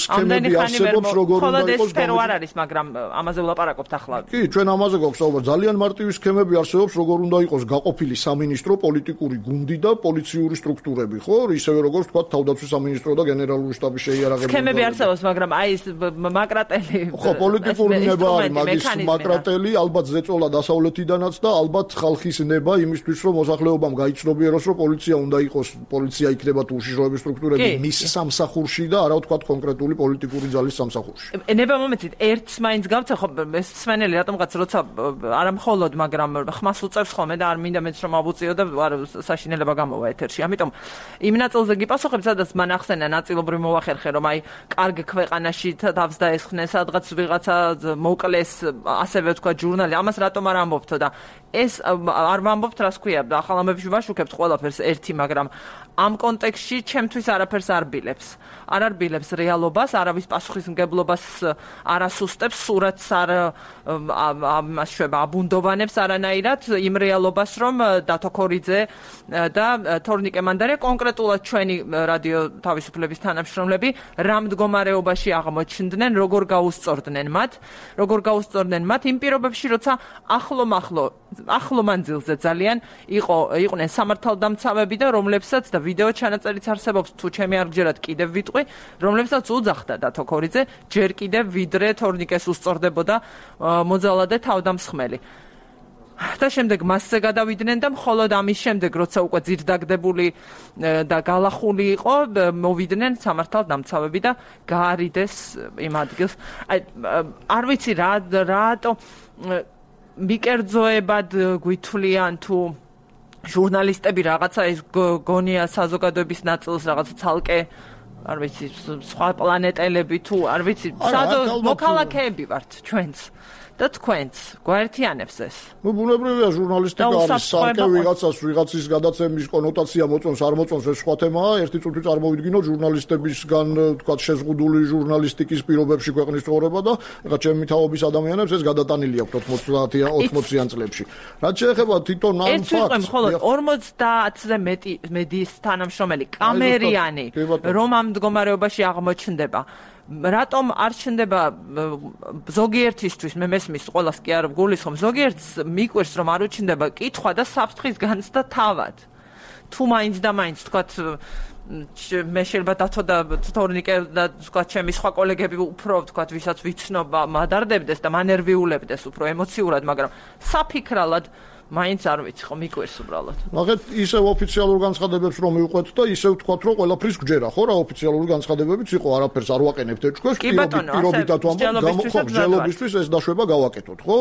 სქემები არსებობს, როგორ უნდა იყოს სფერო არ არის, მაგრამ ამაზე ვლაპარაკობთ ახლა. კი, ჩვენ ამაზე გვაქვს საუბარი. ძალიან მარტივი სქემები არსებობს, როგორ უნდა იყოს გაყოფილი სამინისტრო, პოლიტიკური გუნდი და პოლიციური სტრუქტურები, ხო? ისევე როგორც თქვა თავდაცვის სამინისტრო და გენერალური შტაბის შეიარაღებული. სქემები არსებობს, მაგრამ აი ეს მაკრატელი ხო, პოლიტიკური ნება არის, მაგის მაკრატელი, ალბათ ზეწოლა დასავლეთიდანაც და ალბათ ხალხის ნება იმისთვის, რომ მოსახლეობამ გაიცნობიეროს, რომ პოლიცია უნდა იყოს, პოლიცია იქნება თუ უშიშროების სტრუქტურები მის სამსახურში და არა ვთქვათ კონკრეტული პოლიტიკური ძალის სამსახურში. ნება მომეცით ერთს მაინც გავცა ხო ეს სვენელი რატომღაც როცა არა მხოლოდ, მაგრამ ხმას უწევს ხოლმე და არ მინდა მეც რომ ავუწიო და საშინელება გამოვა ეთერში. ამიტომ იმ ნაწილზე გიპასუხებ, სადაც მან ახსენა ნაწილობრივ მოვახერხე, რომ აი კარგ ქვეყანაში თავს დაესხნეს, სადღაც ვიღაცა მოკლეს, ასევე ვთქვა ჟურნალი. ამას რატომ არ ამბობთო და ეს არ ვამბობთ, რას ქვია, ახალ ამბებში ვაშუქებთ ყველაფერს ერთი, მაგრამ ამ კონტექსტში ჩემთვის არაფერს არ ბილებს. არ არბილებს რეალობას, არავის პასუხისმგებლობას არ ასუსტებს, სურათს არ შვება აბუნდოვანებს არანაირად იმ რეალობას, რომ დათო ქორიძე და თორნიკე მანდარია კონკრეტულად ჩვენი რადიო თავისუფლების თანამშრომლები რა მდგომარეობაში აღმოჩნდნენ, როგორ გაუსწორდნენ მათ იმ პირობებში, როცა ახლო მანძილზე ძალიან იყვნენ სამართალდამცავები და რომლებსაც და ვიდეო ჩანაწერიც არსებობს, თუ ჩემი არ გჯერათ კიდევ ვიტყვი, რომლებსაც უძახდა დათო ქორიძე ჯერ კიდევ ვიდრე თორნიკეს უსწორდებოდა მოძალადე თავდამსხმელი. და შემდეგ მასზე გადავიდნენ და მხოლოდ ამის შემდეგ, როცა უკვე ძირდაგდებული და გალახული იყო, მოვიდნენ სამართალდამცავები და გაარიდეს იმ ადგილს. არ ვიცი რატო მიკერძოებად გვითვლიან თუ ჟურნალისტები რაღაცა ეს გონია საზოგადოების ნაწილს რაღაცა ცალკე არ ვიცი სხვა პლანეტელები თუ არ ვიცი მოქალაქეები ვართ ჩვენც და თქვენც გვაერთიანებს ეს. ნუ ბუნებრივია ჟურნალისტიკა არის სალკე ვიღაცის გადაცემის კონოტაცია მოწონს არ მოწონს ეს სხვა თემაა. ერთი წუთი წარმოვიდგინოთ ჟურნალისტებისგან თქვა შეზღუდული ჟურნალისტიკის პირობებში ქვეყნის ცხოვრება და ეხლა ჩემი თაობის ადამიანებს ეს გადატანილი აქვს 80-იან წლებში. რაც შეეხება თვითონ ამ ფაქტს, მხოლოდ 50-ზე მეტი მედიის თანამშრომელი კამერიანი რომ ამ მდგომარეობაში აღმოჩნდება. რატომ არ ჩნდება ზოგიერთისთვის მე მესმის ყველას კი არ გულისხმობ ზოგიერთს მიკვირს რომ არ უჩნდება კითხვა და საფრთხის განცდა თავად თუ მაინც და მაინც თქვათ მე შეიძლება დათო და თორნიკე და თქვათ ჩემი სხვა კოლეგები უფრო თქვათ ვისაც ვიცნობა მადარდებდეს და მანერვიულებდეს უფრო ემოციურად მაგრამ საფიქრალად მაინც არ ვიცი ხო მიკვირს უბრალოდ. მაგეთ ისევ ოფიციალურ განცხადებებს რომ მივყვეთ და ისევ თქვათ რომ ყველაფრის გჯერა ხო რა ოფიციალური განცხადებებიც იყო არაფერს არ ვაყენებთ ეჭქვეს პირობითად ვამბობ ჯელობისთვის ეს დაშვება გავაკეთოთ ხო?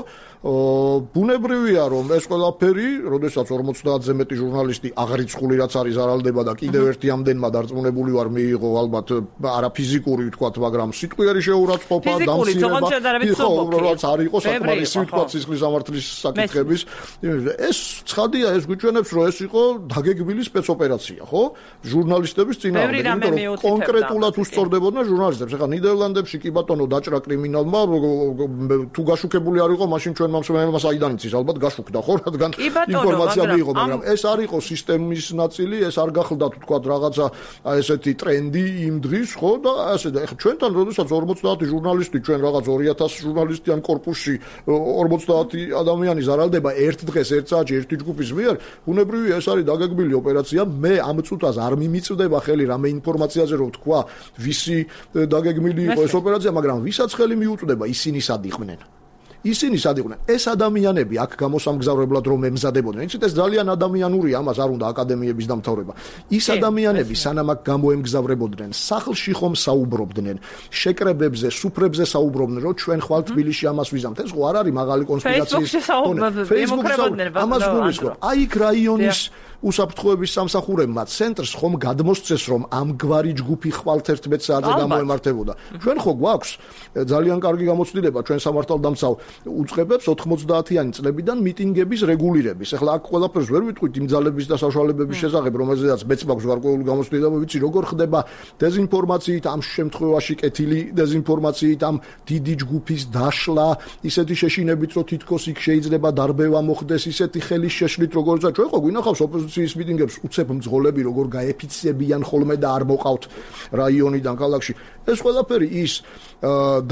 ბუნებრივია რომ ეს ყველაფერი, როდესაც 50-ზე მეტი ჟურნალისტი აღრიცხული რაც არის არალდება და კიდევ ერთი ამდენმა დარწმუნებული ვარ მიიღო ალბათ არა ფიზიკური თქვათ მაგრამ სიტყვიერი შეურაცხყოფა დამსიერება ხო რაც არ იყო საკმარისი თქვათ სისხლის სამართლის საკითხების ეს ცხადია ეს გვიჩვენებს რომ ეს იყო დაგეგმილი სპეცოპერაცია ხო ჟურნალისტების წინააღმდეგ იმიტომ რომ კონკრეტულად უსწორდებოდნენ ჟურნალისტებს ეხლა ნიდერლანდებში კი ბატონო დაჭრა კრიმინალმა თუ გაშუქებული არ იყო მაშინ ჩვენ მომსმენელმა საიდან იცის ალბათ გაშუქდა ხო რადგან ინფორმაცია მიიღო მაგრამ ეს არ იყო სისტემის ნაწილი ეს არ გახლდა თუ თქვა რაღაცა ესეთი ტრენდი იმ დღის ხო და ასე და ეხლა ჩვენთან როდესაც 50 ჟურნალისტი ჩვენ რაღაც 2000 ჟურნალისტიან კორპუსში 50 ადამიანი ზარალდება ერთ დღეს ერთ საათში ერთი ჯგუფის მიერ ბუნებრივია ეს არის დაგეგმილი ოპერაცია მე ამ წუთას არ მიმიწვდება ხელი რამე ინფორმაციაზე რომ თქვა ვისი დაგეგმილი იყო ეს ოპერაცია მაგრამ ვისაც ხელი მიუწვდება ისინი სად იყვნენ ისინი სად იყვნენ? ეს ადამიანები აქ გამოსამგზავრებლად რომ ემზადებოდნენ. იცით, ეს ძალიან ადამიანურია, ამას არ უნდა აკადემიების დამთავრება. ის ადამიანები სანამ აქ გამოემგზავრებოდნენ, სახლში ხომ საუბრობდნენ, შეკრებებზე, სუფრებზე საუბრობდნენ, რომ ჩვენ ხვალ თბილისში ამას ვიზამთ. ეს ხო არ არის მაღალი კონსპირაციის Facebook-ში ამას გულისხმობ. აი იქ რაიონის უსაფრთხოების სამსახურებმა ცენტრს ხომ გადმოსცეს, რომ ამგვარი ჯგუფი ხვალთ 11 საათზე გამოემართებოდა. ჩვენ ხო გვაქვს ძალიან კარგი გამოცდილება ჩვენ სამართალდამცავ უწყებებს 90-იანი წლებიდან მიტინგების რეგულირების. ეხლა აქ ყველაფერს ვერ ვიტყვით იმ ძალების და საშუალებების შესახებ, რომელზედაც მეც მაქვს გარკვეული გამოცდილება, ვიცი როგორ ხდება დეზინფორმაციით, ამ შემთხვევაში კეთილი დეზინფორმაციით, ამ დიდი ჯგუფის დაშლა, ისეთი შეშინებით, რომ თითქოს იქ შეიძლება დარბევა მოხდეს, ისეთი ხელის შეშლით, როგორცა ჩვენ ხო გვინახავს ოპოზიციის მიტინგებს უცებ მძღოლები, როგორ გაეფიცებიან ხოლმე და არ მოყავთ რაიონიდან ქალაქში. ეს ყველაფერი ის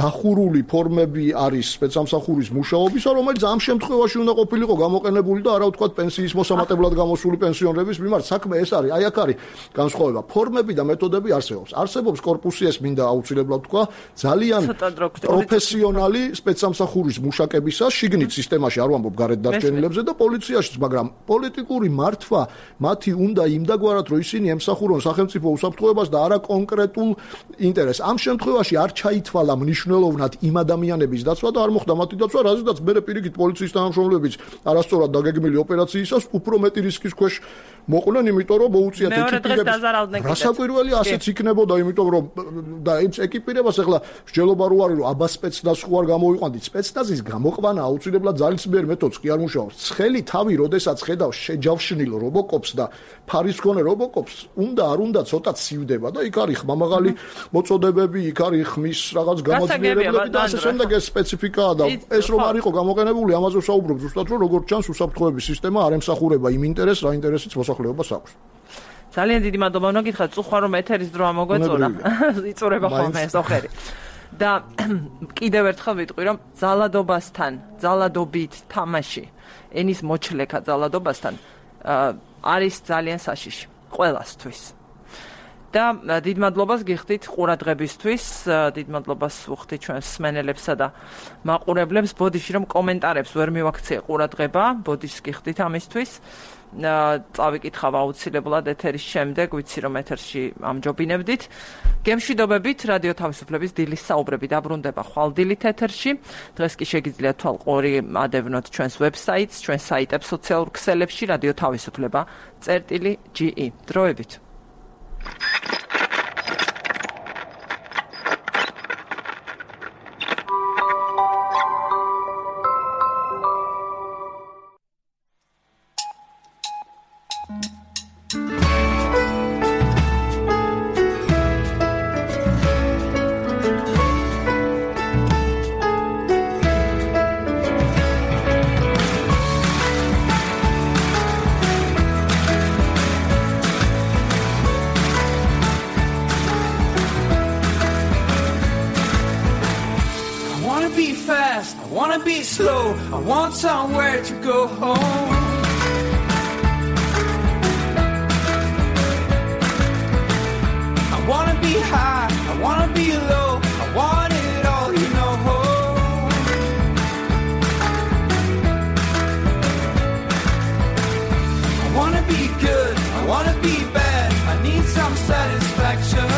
დახურული ფორმები არის სპეცსამსახურის მუშაობისა, რომელიც ამ შემთხვევაში უნდა ყოფილიყო გამოყენებული და არა ვთქვათ პენსიის მოსამატებლად გამოსული პენსიონერების მიმართ. საქმე ეს არის, აი აქ არის განსხვავება. ფორმები და მეთოდები არსებობს. არსებობს კორპუსი, ეს მინდა აუცილებლად თქვა, ძალიან პროფესიონალი სპეცსამსახურის მუშაკებისას, შიგნით სისტემაში არ ვამბობ გარეთ დარჩენილებზე და პოლიციაშიც, მაგრამ პოლიტიკური მართვა მათი უნდა იმდაგვარად, რომ ისინი ემსახურონ სახელმწიფო უსაფრთხოებას და არა კონკრეტულ ინტერესს. ამ შემთხვევაში არ ჩაითვალა მნიშვნელოვნად იმ ადამიანების დაცვა და არ მოხდა მათი დაცვა, რაზედაც მე პირიქით პოლიციის თანამშრომლებიც არასწორად დაგეგმილი ოპერაციისას უფრო მეტი რისკის ქვეშ მოყვნენ, იმიტომ რომ მოუწიათ ეკიპირებას. რასაკვირველი ასეც იქნებოდა, იმიტომ რომ და ეს ეკიპირებას ახლა მსჯელობა რო არის, რომ აბა სპეცნაზ ხო არ გამოიყვანდით. სპეცნაზის გამოყვანა აუცილებლად ძალისმიერ მეთოდს კი არ მუშაობს. ცხელი თავი, როდესაც ხედავს შეჯავშნილ რობოკოპს და ფარის მქონე რობოკოპს, უნდა არ უნდა ცოტა ცივდება და იქ არის ხმამაღალი მოწოდებები, იქ არის ხმის რაღაც გამოძიებები და ასე შემდეგ. ეს სპეციფიკაა და ეს რომ არ იყო გამოყენებული, ამაზე ვსაუბრობ ზუსტად, რომ როგორც ჩანს უსაფრთხოების სისტემა არ ემსახურება იმ ინტერესს, რა ინტერესიც მოსახლეობას აქვს. ძალიან დიდი მადლობა, უნდა გითხრათ, წუხვა რომ ეთერის დრო ამოგვეწონა. იწურება ხოლმე სოხერი. და კიდევ ერთხელ ვიტყვი, რომ ძალადობასთან, ძალადობით თამაში, ენის მოჩლეკა ძალადობასთან არის ძალიან საშიში ყველასთვის. და დიდ მადლობას გიხდით ყურადღებისთვის, დიდ მადლობას ვუხდით ჩვენს მსმენელებსა და მაყურებლებს. ბოდიში რომ კომენტარებს ვერ მივაქცია ყურადღება, ბოდიშს გიხდით ამისთვის. წავიკითხავ აუცილებლად ეთერის შემდეგ, ვიცი რომ ეთერში ამჯობინებდით. გემშვიდობებით, რადიო თავისუფლების დილის საუბრები დაბრუნდება ხვალდილით ეთერში. დღეს კი შეგიძლიათ თვალყური ადევნოთ ჩვენს ვებსაიტს, ჩვენს საიტებს სოციალურ ქსელებში რადიო თავისუფლება.ge. დროებით. I want somewhere to go home. I wanna be high, I wanna be low, I want it all, you know. I wanna be good, I wanna be bad, I need some satisfaction.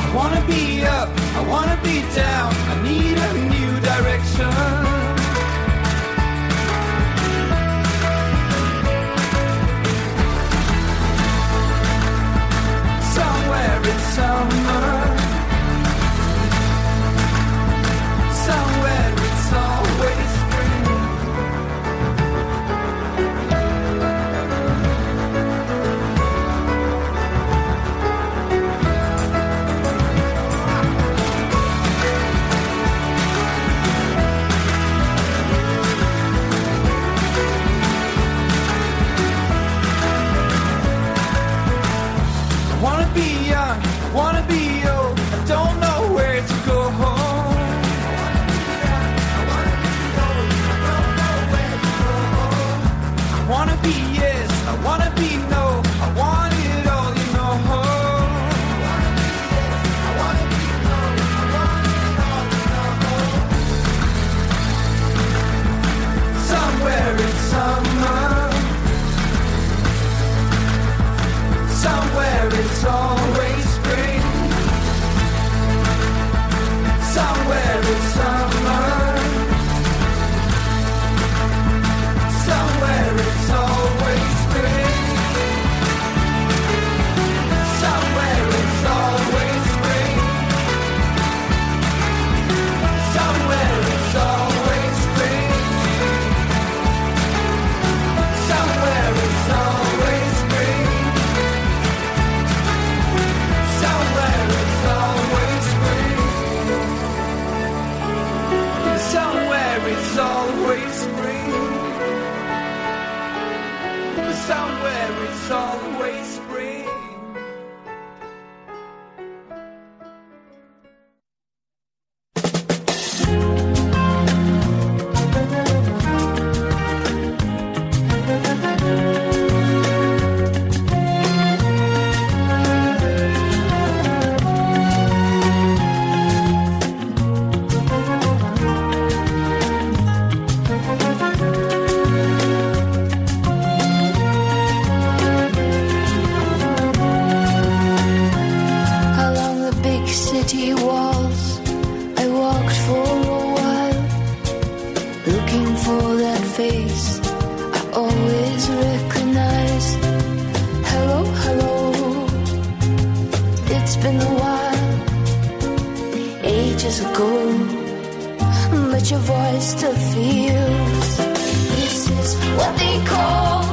I wanna be up, I wanna be down, I need a new direction. Somewhere it's summer, somewhere it's always spring. Somewhere it's summer. Somewhere it's always spring. Somewhere it's always spring. Somewhere it's always spring. Somewhere it's always spring. Somewhere it's always spring. Somewhere it's always spring. Somewhere it's always spring. Along the big city walls, I walked for a while, looking for that face I always recognize. Hello, hello, it's been a while, ages ago, but your voice still feels. This is what they call